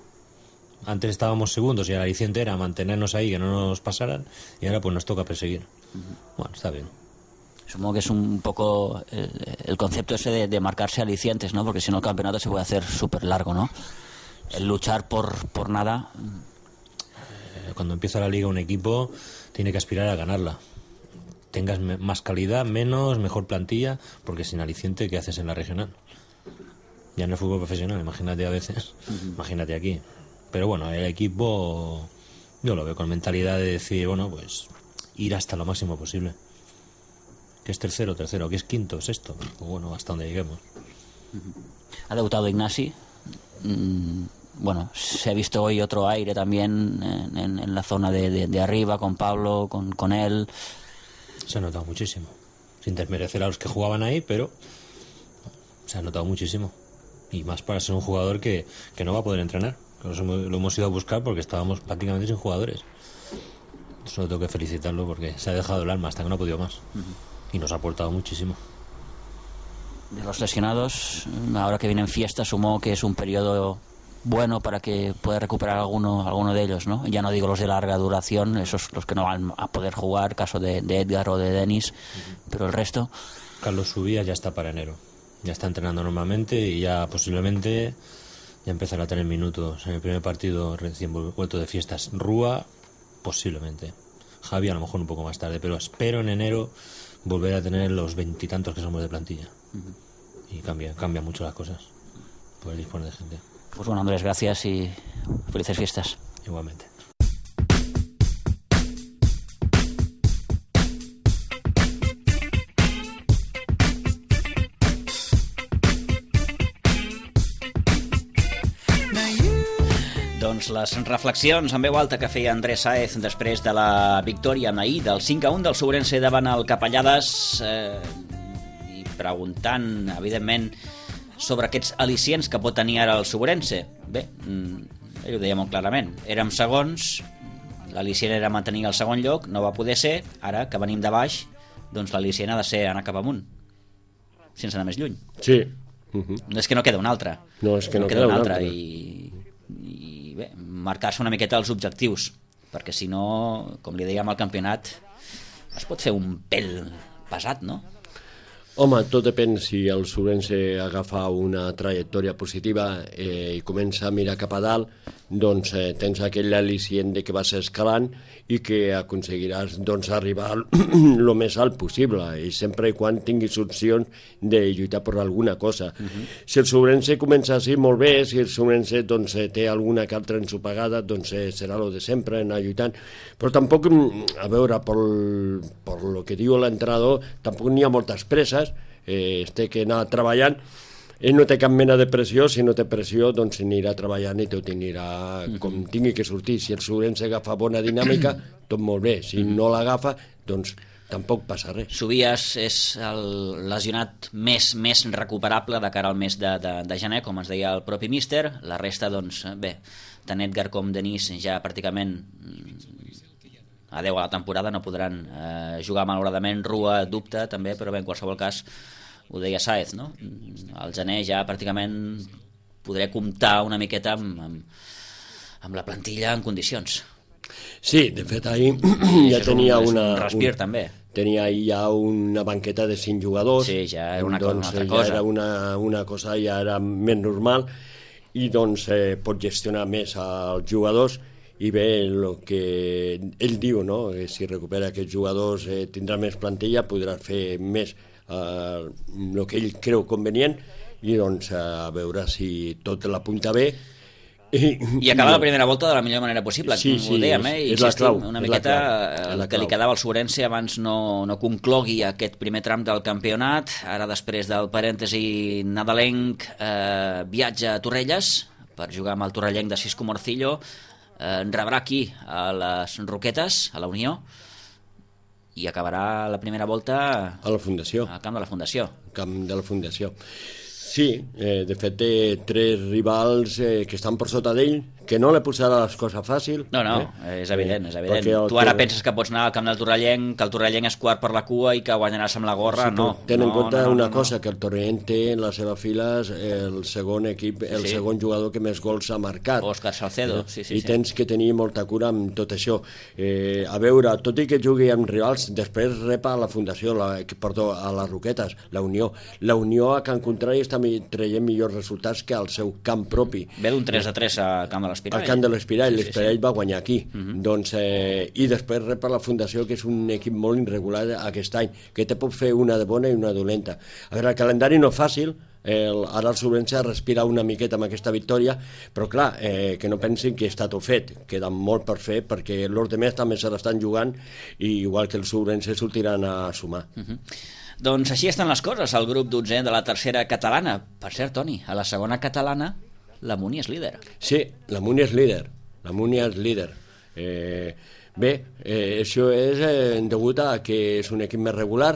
Antes estábamos segundos y el aliciente era mantenernos ahí, que no nos pasaran, y ahora pues nos toca perseguir. Bueno, está bien.
Supongo que es un poco el, el concepto ese de, de marcarse alicientes, ¿no? Porque si no el campeonato se puede hacer súper largo, ¿no? El luchar por, por nada.
Cuando empieza la liga un equipo tiene que aspirar a ganarla. Tengas me- más calidad, menos, mejor plantilla, porque sin aliciente, ¿qué haces en la regional? Ya en el fútbol profesional, imagínate a veces, uh-huh. Imagínate aquí. Pero bueno, el equipo yo lo veo con mentalidad de decir, bueno, pues ir hasta lo máximo posible. Que es tercero, tercero, que es quinto, sexto, pues bueno, hasta donde lleguemos.
Ha debutado Ignasi. Mm, bueno, se ha visto hoy otro aire también en, en, en la zona de, de, de arriba, con Pablo, con, con él.
Se ha notado muchísimo, sin desmerecer a los que jugaban ahí, pero se ha notado muchísimo. Y más para ser un jugador que, que no va a poder entrenar. Lo hemos, lo hemos ido a buscar porque estábamos prácticamente sin jugadores. Solo tengo que felicitarlo porque se ha dejado el alma hasta que no ha podido más. Uh-huh. Y nos ha aportado muchísimo.
De los lesionados, ahora que vienen fiestas, supongo que es un periodo bueno para que pueda recuperar alguno, alguno de ellos, ¿no? Ya no digo los de larga duración, esos los que no van a poder jugar, caso de, de Edgar o de Denis, uh-huh. Pero el resto...
Carlos Subías ya está para enero. Ya está entrenando normalmente y ya posiblemente ya empezará a tener minutos en el primer partido recién vuelto de fiestas. Rúa, posiblemente. Javi a lo mejor un poco más tarde, pero espero en enero volver a tener los veintitantos que somos de plantilla. Uh-huh. Y cambia, cambia mucho las cosas. Poder disponer de gente.
Pues bueno, Andrés, gracias y felices fiestas.
Igualmente.
Doncs les reflexions en veu alta que feia Andrés Sáez després de la victòria ahir del cinc a un del Sobrense davant el Capellades, eh, i preguntant, evidentment, sobre aquests al·licients que pot tenir ara el Sobrense. Bé, ell ho deia molt clarament. Érem segons, l'al·licient era mantenir el segon lloc, no va poder ser, ara que venim de baix, doncs l'al·licient ha de ser anar cap amunt, sense anar més lluny.
Sí. Uh-huh.
No és que no queda una altra.
No, és que no,
no
queda,
queda una
altra.
altra. I, i bé, marcar-se una miqueta els objectius, perquè si no, com li dèiem al campionat, es pot fer un pèl pesat, no?
Home, tot depèn si el Sobrense agafa una trajectòria positiva eh, i comença a mirar cap a dalt, doncs eh, tens aquell al·licient de que vas escalant i que aconseguiràs doncs, arribar el més alt possible, i sempre i quan tinguis opcions de lluitar per alguna cosa. Uh-huh. Si el Sobrense comença així, molt bé. Si el Sobrense doncs, té alguna que altra ensopegada, doncs eh, serà lo de sempre, anar lluitant. Però tampoc, a veure, per, per lo que diu l'entrenador, tampoc n'hi ha moltes presses. eh, es té que anar treballant. Ell no té cap mena de pressió, si no té pressió doncs anirà treballant i tot anirà com tingui que sortir. Si el Sobrense agafa bona dinàmica, tot molt bé. Si no l'agafa, doncs tampoc passa res.
Subias és el lesionat més més recuperable de cara al mes de, de, de gener, com ens deia el propi míster. La resta, doncs, bé, tant Edgar com Denis ja pràcticament adeu a la temporada, no podran eh, jugar malauradament. Rua dubta també, però bé, en qualsevol cas ho deia Sáez, no? Al gener ja pràcticament podré comptar una miqueta amb, amb, amb la plantilla en condicions.
Sí, de fet ahir ja tenia
un,
una...
un respir
un,
també.
Tenia ahir ja una banqueta de cinc jugadors.
Sí, ja era una,
doncs,
una altra
ja
cosa.
Era una, una cosa ja era més normal i doncs eh, pot gestionar més els jugadors i bé, el que ell diu, no? Que si recupera aquests jugadors eh, tindrà més plantilla, podrà fer més el uh, que ell creu convenient i doncs a veure si tot l'apunta bé i,
i acabar la primera volta de la millor manera possible,
sí,
com
sí,
ho dèiem, eh?
és, és la clau,
una
és
miqueta
la
el que li quedava al Sobrense abans no, no conclogui aquest primer tram del campionat. Ara després del parèntesi nadalenc eh, viatja a Torrelles per jugar amb el torrellenc de Cisco Morcillo, eh, rebrà aquí a les Roquetes, a la Unió, i acabarà la primera volta
a la Fundació,
al camp de la Fundació.
Camp de la Fundació. Sí, eh, de fet té tres rivals eh, que estan per sota d'ell, que no li posarà les coses fàcil.
No, no,
eh?
és evident, és evident.
El
tu ara
que...
penses que pots anar al camp del Torrellenc, que el Torrellenc és quart per la cua i que guanyaràs amb la gorra, sí, no.
Ten en
no,
compte
no, no,
una
no,
cosa,
no.
que el Torrellenc té en les seves files el segon equip, el
sí.
segon jugador que més gols ha marcat.
Òscar Salcedo,
eh?
sí, sí.
I tens sí. que tenir molta cura amb tot això. Eh, a veure, tot i que jugui amb rivals, després repa a la Fundació, la, perdó, a les Roquetes, la Unió. La Unió a Can Contrari està traient millors resultats que al seu camp propi.
Ve d'un tres a tres a Camp de l'Espirall.
Al Camp de l'Espirall,
sí,
l'Espirall
sí, sí.
va guanyar aquí.
Uh-huh.
Doncs, eh, i després rep la Fundació, que és un equip molt irregular aquest any, que te pot fer una de bona i una dolenta. A veure, el calendari no és fàcil, el, ara el Sobrense ha respirat una miqueta amb aquesta victòria, però clar, eh, que no pensin que està tot fet, queda molt per fer, perquè els demés també se l'estan jugant, i igual que el Sobrense sortiran a sumar.
Uh-huh. Doncs així estan les coses al grup dotzè de la tercera catalana. Per cert, Toni, a la segona catalana la Muni és líder.
Sí, la Muni és líder. La Muni és líder. Eh, bé, eh, això és eh, degut a que és un equip més regular,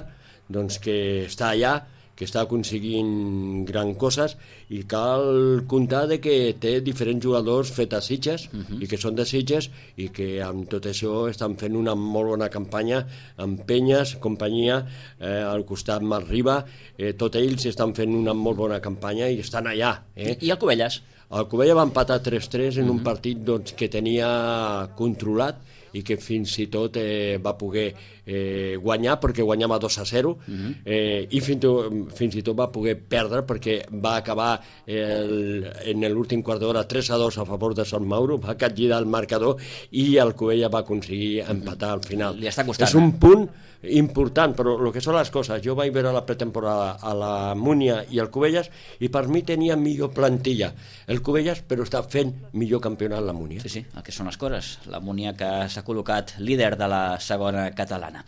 doncs que està allà, que està aconseguint gran coses, i cal comptar de que té diferents jugadors fets a Sitges, uh-huh. i que són de Sitges, i que amb tot això estan fent una molt bona campanya amb Penyes, companyia, eh, al costat Malriba, eh, tots ells estan fent una molt bona campanya i estan allà. Eh?
I el Cubelles?
El Cubelles va empatar tres tres en uh-huh. un partit doncs, que tenia controlat, i que fins i tot eh, va poder eh, guanyar, perquè guanyava dos a zero, uh-huh. eh, i fins, fins i tot va poder perdre, perquè va acabar el, en l'últim quart d'hora tres a dos a favor de Sant Mauro, va capgirar el marcador, i el Cubelles va aconseguir empatar al final.
Li està costant.
És un punt important, però el que són les coses, jo vaig veure la pretemporada a la Múnia i el Cubelles, i per mi tenia millor plantilla el Cubelles, però està fent millor campionat la Múnia.
Sí, sí, el que són les coses. La Múnia que s'ha col·locat líder de la segona catalana.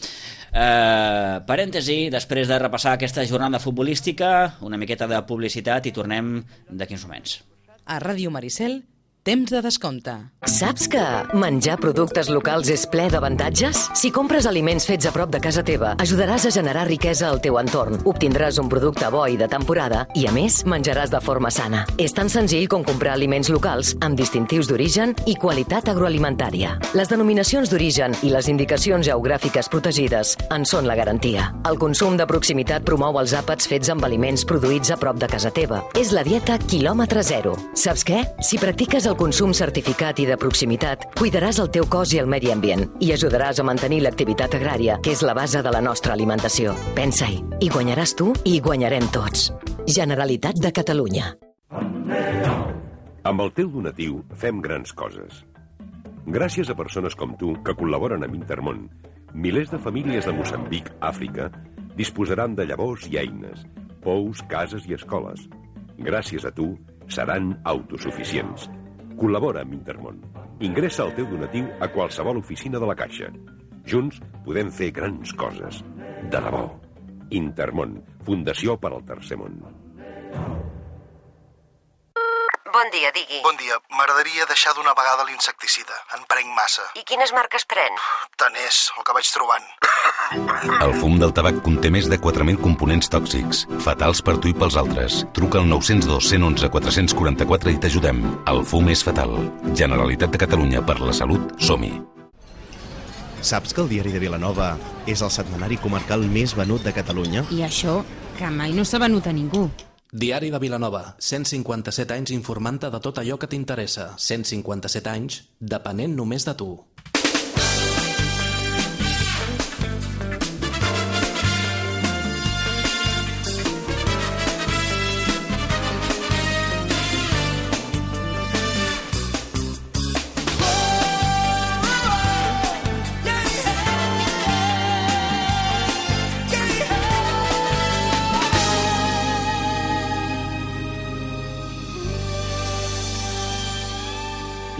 Eh, parèntesi, després de repassar aquesta jornada futbolística, una miqueta de publicitat i tornem d'aquí uns moments.
A Ràdio Maricel, temps de descompte.
Saps que menjar productes locals és ple d'avantatges? Si compres aliments fets a prop de casa teva, ajudaràs a generar riquesa al teu entorn. Obtindràs un producte bo i de temporada i, a més, menjaràs de forma sana. És tan senzill com comprar aliments locals amb distintius d'origen i qualitat agroalimentària. Les denominacions d'origen i les indicacions geogràfiques protegides en són la garantia. El consum de proximitat promou els àpats fets amb aliments produïts a prop de casa teva. És la dieta quilòmetre zero. Saps què? Si practiques el consum certificat i de proximitat, cuidaràs el teu cos i el medi ambient i ajudaràs a mantenir l'activitat agrària, que és la base de la nostra alimentació. Pensa-hi. I guanyaràs tu i guanyarem tots. Generalitat de Catalunya.
Amb el teu donatiu fem grans coses. Gràcies a persones com tu que col·laboren amb Intermón, milers de famílies de Moçambic, Àfrica, disposaran de llavors i eines, pous, cases i escoles. Gràcies a tu, seran autosuficients. Col·labora amb Intermón. Ingressa el teu donatiu a qualsevol oficina de la Caixa. Junts podem fer grans coses. De debò. Intermón, Fundació per al Tercer Món.
Bon dia, digui.
Bon dia. M'agradaria deixar d'una vegada l'insecticida. En prenc massa.
I quines marques pren?
Tant és, el que vaig trobant.
El fum del tabac conté més de quatre mil components tòxics, fatals per tu i pels altres. Truca al nou zero dos, un u un, quatre quatre quatre i t'ajudem. El fum és fatal. Generalitat de Catalunya, per la salut, som-hi.
Saps que el Diari de Vilanova és el setmanari comarcal més venut de Catalunya?
I això, que mai no s'ha venut a ningú.
Diari de Vilanova, cent cinquanta-set anys informant-te de tot allò que t'interessa. cent cinquanta-set anys, depenent només de tu.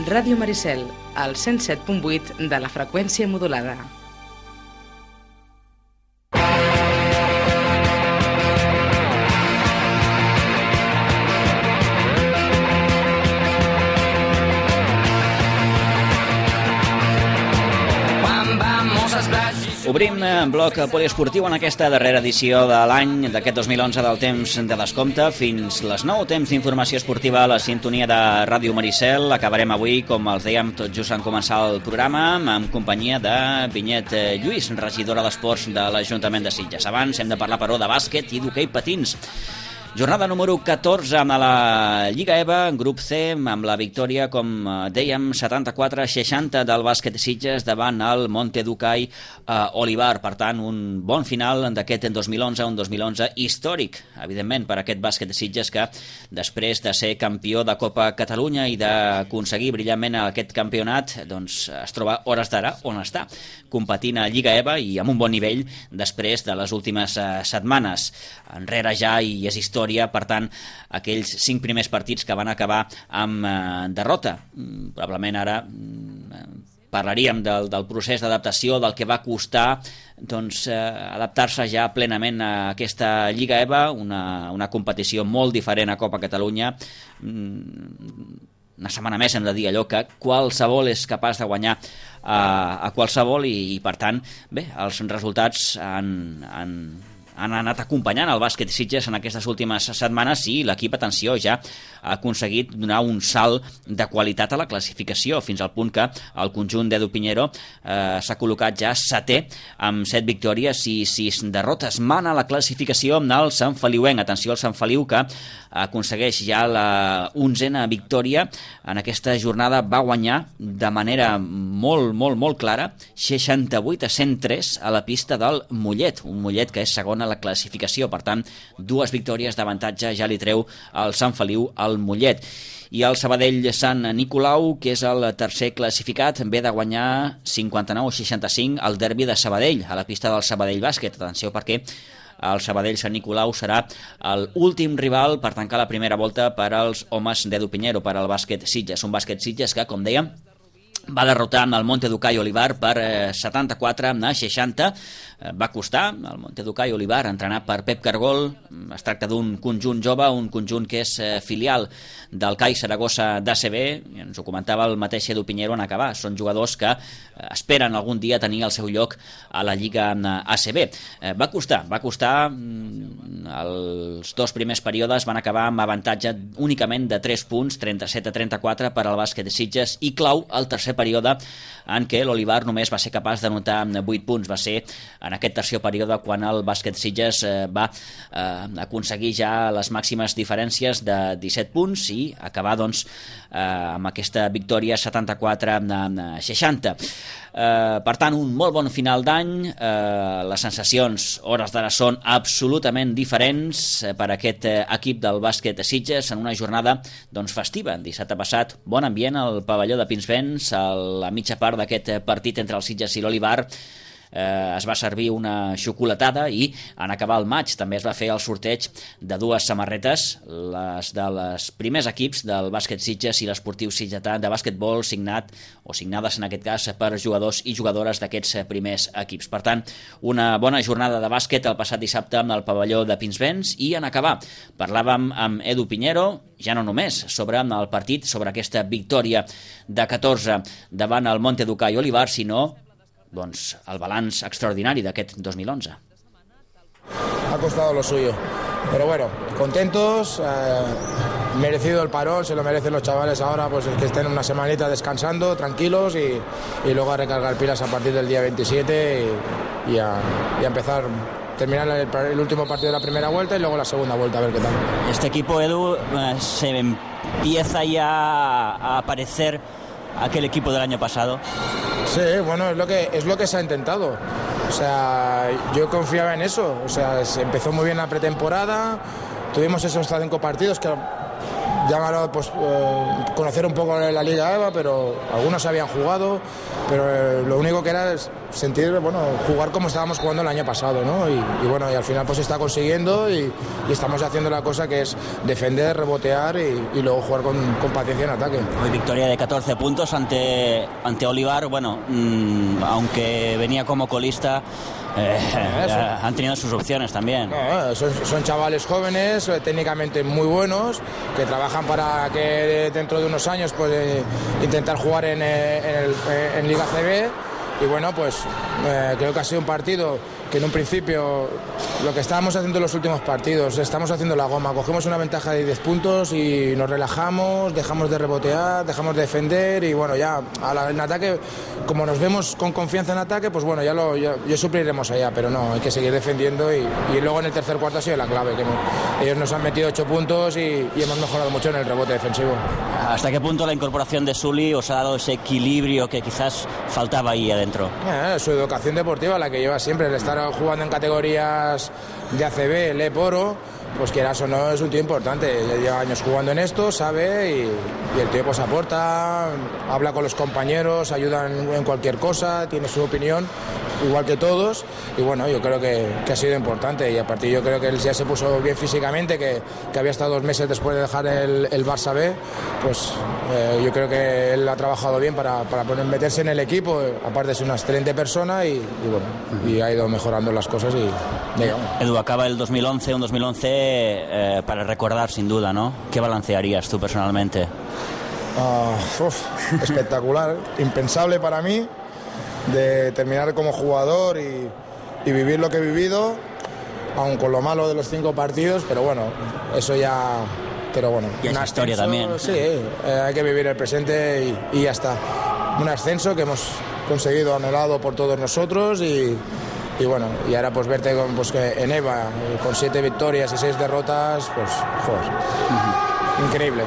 Ràdio Maricel, al cent set punt vuit de la freqüència modulada.
Obrim bloc poliesportiu en aquesta darrera edició de l'any d'aquest dos mil onze del temps de descompte. Fins les nou, temps d'informació esportiva a la sintonia de Ràdio Maricel. Acabarem avui, com els dèiem, tot just en començar el programa, en companyia de Vinyet Lluís, regidora d'Esports de l'Ajuntament de Sitges. Abans hem de parlar, però, de bàsquet i d'hoquei patins. Jornada número catorze amb la Lliga E V A, en grup C, amb la victòria, com dèiem, setanta-quatre a seixanta del bàsquet Sitges davant el Monte Ducai eh, Olivar. Per tant, un bon final d'aquest dos mil onze, un dos mil onze històric, evidentment, per aquest bàsquet Sitges que, després de ser campió de Copa Catalunya i d'aconseguir brillantment aquest campionat, doncs es troba hores d'ara on està, competint a Lliga E V A i amb un bon nivell després de les últimes eh, setmanes. Enrere ja i és història, per tant, aquells cinc primers partits que van acabar amb eh, derrota. Probablement ara eh, parlaríem del, del procés d'adaptació, del que va costar doncs, eh, adaptar-se ja plenament a aquesta Lliga E V A, una, una competició molt diferent a Copa Catalunya. Una setmana més hem de dir allò que qualsevol és capaç de guanyar a, a qualsevol i, i per tant, bé, els resultats han... han han anat acompanyant el bàsquet Sitges en aquestes últimes setmanes i l'equip, atenció, ja ha aconseguit donar un salt de qualitat a la classificació, fins al punt que el conjunt d'Edu Piñero eh, s'ha col·locat ja setè amb set victòries i sis derrotes. Mana la classificació amb el Sant Feliuenc. Atenció al Sant Feliu, que aconsegueix ja la onzena victòria en aquesta jornada. Va guanyar de manera molt, molt, molt clara, seixanta-vuit a cent tres a la pista del Mollet, un Mollet que és segon a la classificació. Per tant, dues victòries d'avantatge ja li treu el Sant Feliu al Mollet. I el Sabadell Sant Nicolau, que és el tercer classificat, ve de guanyar cinquanta-nou a seixanta-cinc al derbi de Sabadell, a la pista del Sabadell Bàsquet. Atenció, perquè el Sabadell Sant Nicolau serà l'últim rival per tancar la primera volta per als homes d'Edu Piñero, per al bàsquet Sitges. Un bàsquet Sitges que, com dèiem, va derrotar el Monte Ducai Olivar per setanta-quatre a seixanta. Va costar el Monte Ducai Olivar, entrenat per Pep Cargol. Es tracta d'un conjunt jove, un conjunt que és filial del C A I Saragossa d'A C B, i ens ho comentava el mateix Edu Piñero en acabar. Són jugadors que esperen algun dia tenir el seu lloc a la Lliga A C B. Va costar, va costar. Els dos primers períodes van acabar amb avantatge únicament de tres punts, trenta-set a trenta-quatre per al bàsquet de Sitges, i clau el tercer període en què l'Olivar només va ser capaç d'anotar vuit punts. Va ser en aquest tercer període quan el bàsquet Sitges va eh, aconseguir ja les màximes diferències de disset punts i acabar doncs, eh, amb aquesta victòria setanta-quatre a seixanta. Eh, per tant, un molt bon final d'any. Eh, les sensacions, hores d'ara, són absolutament diferents per a aquest equip del bàsquet Sitges en una jornada doncs, festiva. Dissabte passat, bon ambient al pavelló de Pinsbens, a la mitja part d'aquest partit entre el Sitges i l'Olivar. eh, es va servir una xocolatada i en acabar el maig també es va fer el sorteig de dues samarretes, les dels primers equips del bàsquet Sitges i l'Esportiu Sitgetà de bàsquetbol, signat o signades en aquest cas per jugadors i jugadores d'aquests primers equips. Per tant, una bona jornada de bàsquet el passat dissabte amb el pavelló de Pinsbens, i en acabar parlàvem amb Edu Piñero, ja no només sobre el partit, sobre aquesta victòria de catorze davant el Monteduca i Olivar, sinó doncs, el balanç extraordinari d'aquest dos mil onze.
Ha costado lo suyo, pero bueno, contentos, eh, merecido el parón, se lo merecen los chavales ahora, pues que estén una semanita descansando, tranquilos, y, y luego a recargar pilas a partir del día veintisiete y, y, a, y a empezar, terminar el, el último partido de la primera vuelta y luego la segunda vuelta, a ver qué tal.
Este equipo, Edu, eh, se empieza ya a aparecer aquel equipo del año pasado.
Sí, bueno, es lo que es lo que se ha intentado. O sea, yo confiaba en eso. O sea, se empezó muy bien la pretemporada, tuvimos esos cinco partidos que llamaron, pues, eh, conocer un poco la Liga EVA, pero algunos habían jugado, pero eh, lo único que era es sentir, bueno, jugar como estábamos jugando el año pasado, ¿no? Y, y bueno, y al final pues se está consiguiendo y, y estamos haciendo la cosa que es defender, rebotear y, y luego jugar con, con paciencia en ataque.
Hoy victoria de catorce puntos ante, ante Olivar, bueno, mmm, aunque venía como colista, Eh, eh, han tenido sus opciones también.
No, son, son chavales jóvenes, eh, técnicamente muy buenos, que trabajan para que dentro de unos años pues, eh, intentar jugar en, eh, en, el, eh, en Liga C B. Y bueno, pues eh, creo que ha sido un partido que en un principio, lo que estábamos haciendo en los últimos partidos, estamos haciendo la goma, cogemos una ventaja de diez puntos y nos relajamos, dejamos de rebotear, dejamos de defender y bueno, ya a la, en ataque, como nos vemos con confianza en ataque, pues bueno, ya lo ya, ya supliremos allá, pero no, hay que seguir defendiendo y, y luego en el tercer cuarto ha sido la clave, que no, ellos nos han metido ocho puntos y, y hemos mejorado mucho en el rebote defensivo.
¿Hasta qué punto la incorporación de Sully os ha dado ese equilibrio que quizás faltaba ahí adentro?
Eh, su educación deportiva, la que lleva siempre, el estar jugando en categorías de A C B, el E P Oro, pues quieras o no es un tío importante, ya lleva años jugando en esto, sabe, y, y el tío pues aporta, habla con los compañeros, ayuda en, en cualquier cosa, tiene su opinión, igual que todos, y bueno, yo creo que, que ha sido importante, y a partir yo creo que él ya se puso bien físicamente, que, que había estado dos meses después de dejar el, el Barça B, pues eh, yo creo que él ha trabajado bien para, para poner, meterse en el equipo, aparte de ser una excelente persona, y, y bueno, y ha ido mejorando las cosas y digamos.
Edu, acaba el dos mil once, un dos mil once eh, para recordar sin duda, ¿no? ¿Qué balancearías tú personalmente?
Uh, uf, espectacular, impensable para mí, de terminar como jugador y, y vivir lo que he vivido, aun con lo malo de los cinco partidos, pero bueno, eso ya... Pero bueno,
y una historia también.
Sí, eh, hay que vivir el presente y, y ya está. Un ascenso que hemos conseguido anhelado por todos nosotros y, y bueno, y ahora pues verte con, pues, que en EVA con siete victorias y seis derrotas, pues joder, uh-huh. Increíble.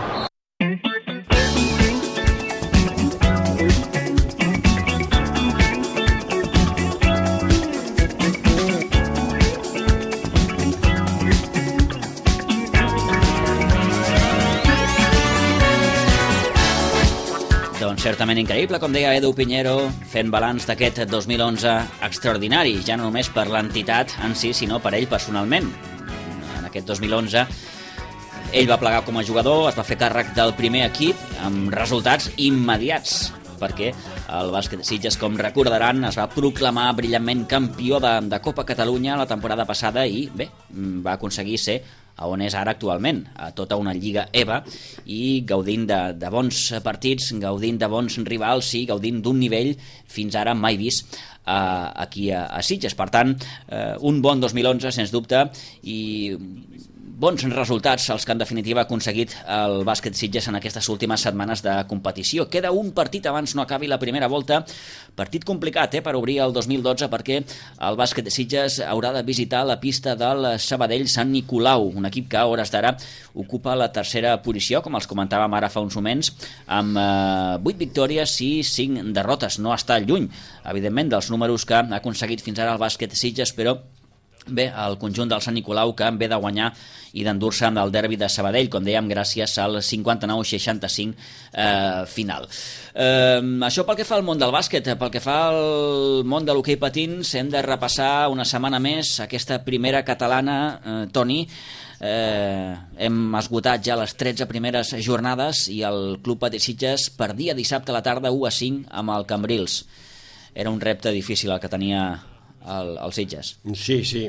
Doncs certament increïble, com deia Edu Piñero, fent balanç d'aquest dos mil onze extraordinari, ja no només per l'entitat en si, sinó per ell personalment. En aquest dos mil onze ell va plegar com a jugador, es va fer càrrec del primer equip amb resultats immediats, perquè el bàsquet Sitges, com recordaran, es va proclamar brillantment campió de, de Copa Catalunya la temporada passada i, bé, va aconseguir ser a on és ara actualment, a tota una lliga EVA, i gaudint de, de bons partits, gaudint de bons rivals i gaudint d'un nivell fins ara mai vist eh, aquí a, a Sitges. Per tant, eh, un bon dos mil onze, sens dubte, i bons resultats els que en definitiva ha aconseguit el bàsquet Sitges en aquestes últimes setmanes de competició. Queda un partit abans no acabi la primera volta, partit complicat eh, per obrir el dos mil dotze, perquè el bàsquet Sitges haurà de visitar la pista del Sabadell Sant Nicolau, un equip que a hores d'ara ocupa la tercera posició, com els comentàvem ara fa uns moments, amb eh, vuit victòries i cinc derrotes. No està lluny, evidentment, dels números que ha aconseguit fins ara el bàsquet Sitges, però Bé, el conjunt del Sant Nicolau que ve de guanyar i d'endur-se amb el derbi de Sabadell, com dèiem, gràcies al cinquanta-nou seixanta-cinc eh, final. Eh, això pel que fa al món del bàsquet. Pel que fa al món de l'hoquei patins, hem de repassar una setmana més aquesta primera catalana, eh, Toni. Eh, hem esgotat ja les tretze primeres jornades i el Club Patí Sitges perdia dissabte a la tarda u a cinc amb el Cambrils. Era un repte difícil el que tenia el, el Sitges.
Sí, sí,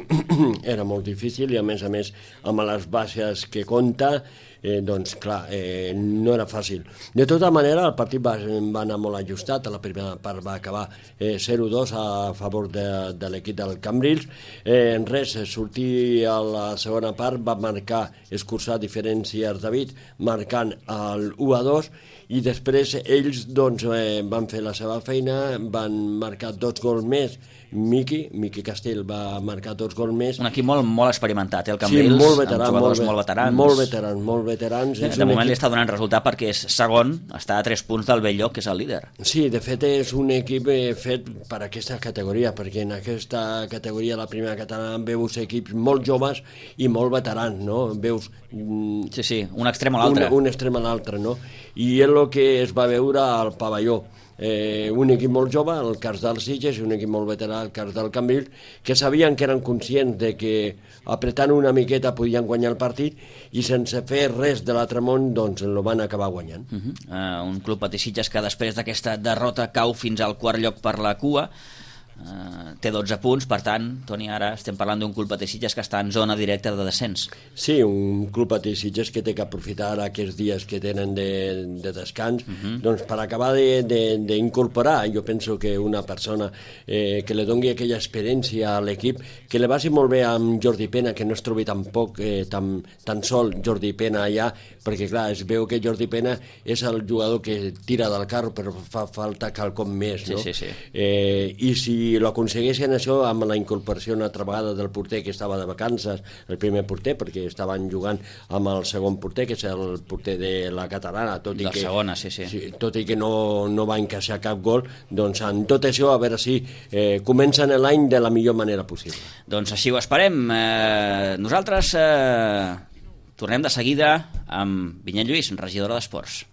era molt difícil i a més a més amb les bases que compta, eh, doncs clar, eh, no era fàcil. De tota manera el partit va, va anar molt ajustat, a la primera part va acabar eh, zero dos a favor de, de l'equip del Cambrils. Eh, en res, sortir a la segona part va marcar, escurçar diferències David, marcant el u a dos, i després ells doncs, eh, van fer la seva feina, van marcar dos gols més. Miqui, Miqui Castell va marcar dos gols més.
Un equip molt, molt experimentat, eh, el Cambrils,
sí, molt veterà,
amb jugadors
molt,
molt veterans.
Molt veterans, molt veterans.
De moment equip... li està donant resultat perquè és segon, està a tres punts del Belllloc, que és el líder.
Sí, de fet és un equip fet per aquesta categoria, perquè en aquesta categoria, la primera catalana, veus equips molt joves i molt veterans, no? Veus...
Sí, sí, un extrem a l'altre.
Un, un extrem a l'altre, no? I és el que es va veure al pavelló. Eh, un equip molt jove, el cas del Sitges, i un equip molt veterà, el cas del Cambrils, que sabien que eren conscients de que apretant una miqueta podien guanyar el partit i sense fer res de l'altre món doncs el van acabar guanyant.
Uh -huh. uh, un Club Patí Sitges que després d'aquesta derrota cau fins al quart lloc per la cua. Uh, té dotze punts, per tant, Toni, ara estem parlant d'un Club Patí Sitges que està en zona directa de descens.
Sí, un Club Patí Sitges que té que aprofitar aquests dies que tenen de, de descans, uh -huh. doncs per acabar d'incorporar, jo penso que una persona eh, que li doni aquella experiència a l'equip, que li vagi molt bé amb Jordi Pena, que no es trobi tampoc eh, tan, tan sol Jordi Pena allà, perquè clar, es veu que Jordi Pena és el jugador que tira del carro, però fa falta quelcom més, no?
Sí, sí, sí.
Eh, I si l'aconsegueixen això amb la incorporació una altra vegada del porter que estava de vacances, el primer porter, perquè estaven jugant amb el segon porter, que és el porter de la catalana, tot i
la
que,
segona, sí, sí.
sí, tot i que no, no va encaixar cap gol, doncs en tot això a veure si eh, comencen l'any de la millor manera possible.
Doncs així ho esperem. Eh, nosaltres eh, tornem de seguida amb Vinyet Lluís, regidora d'Esports.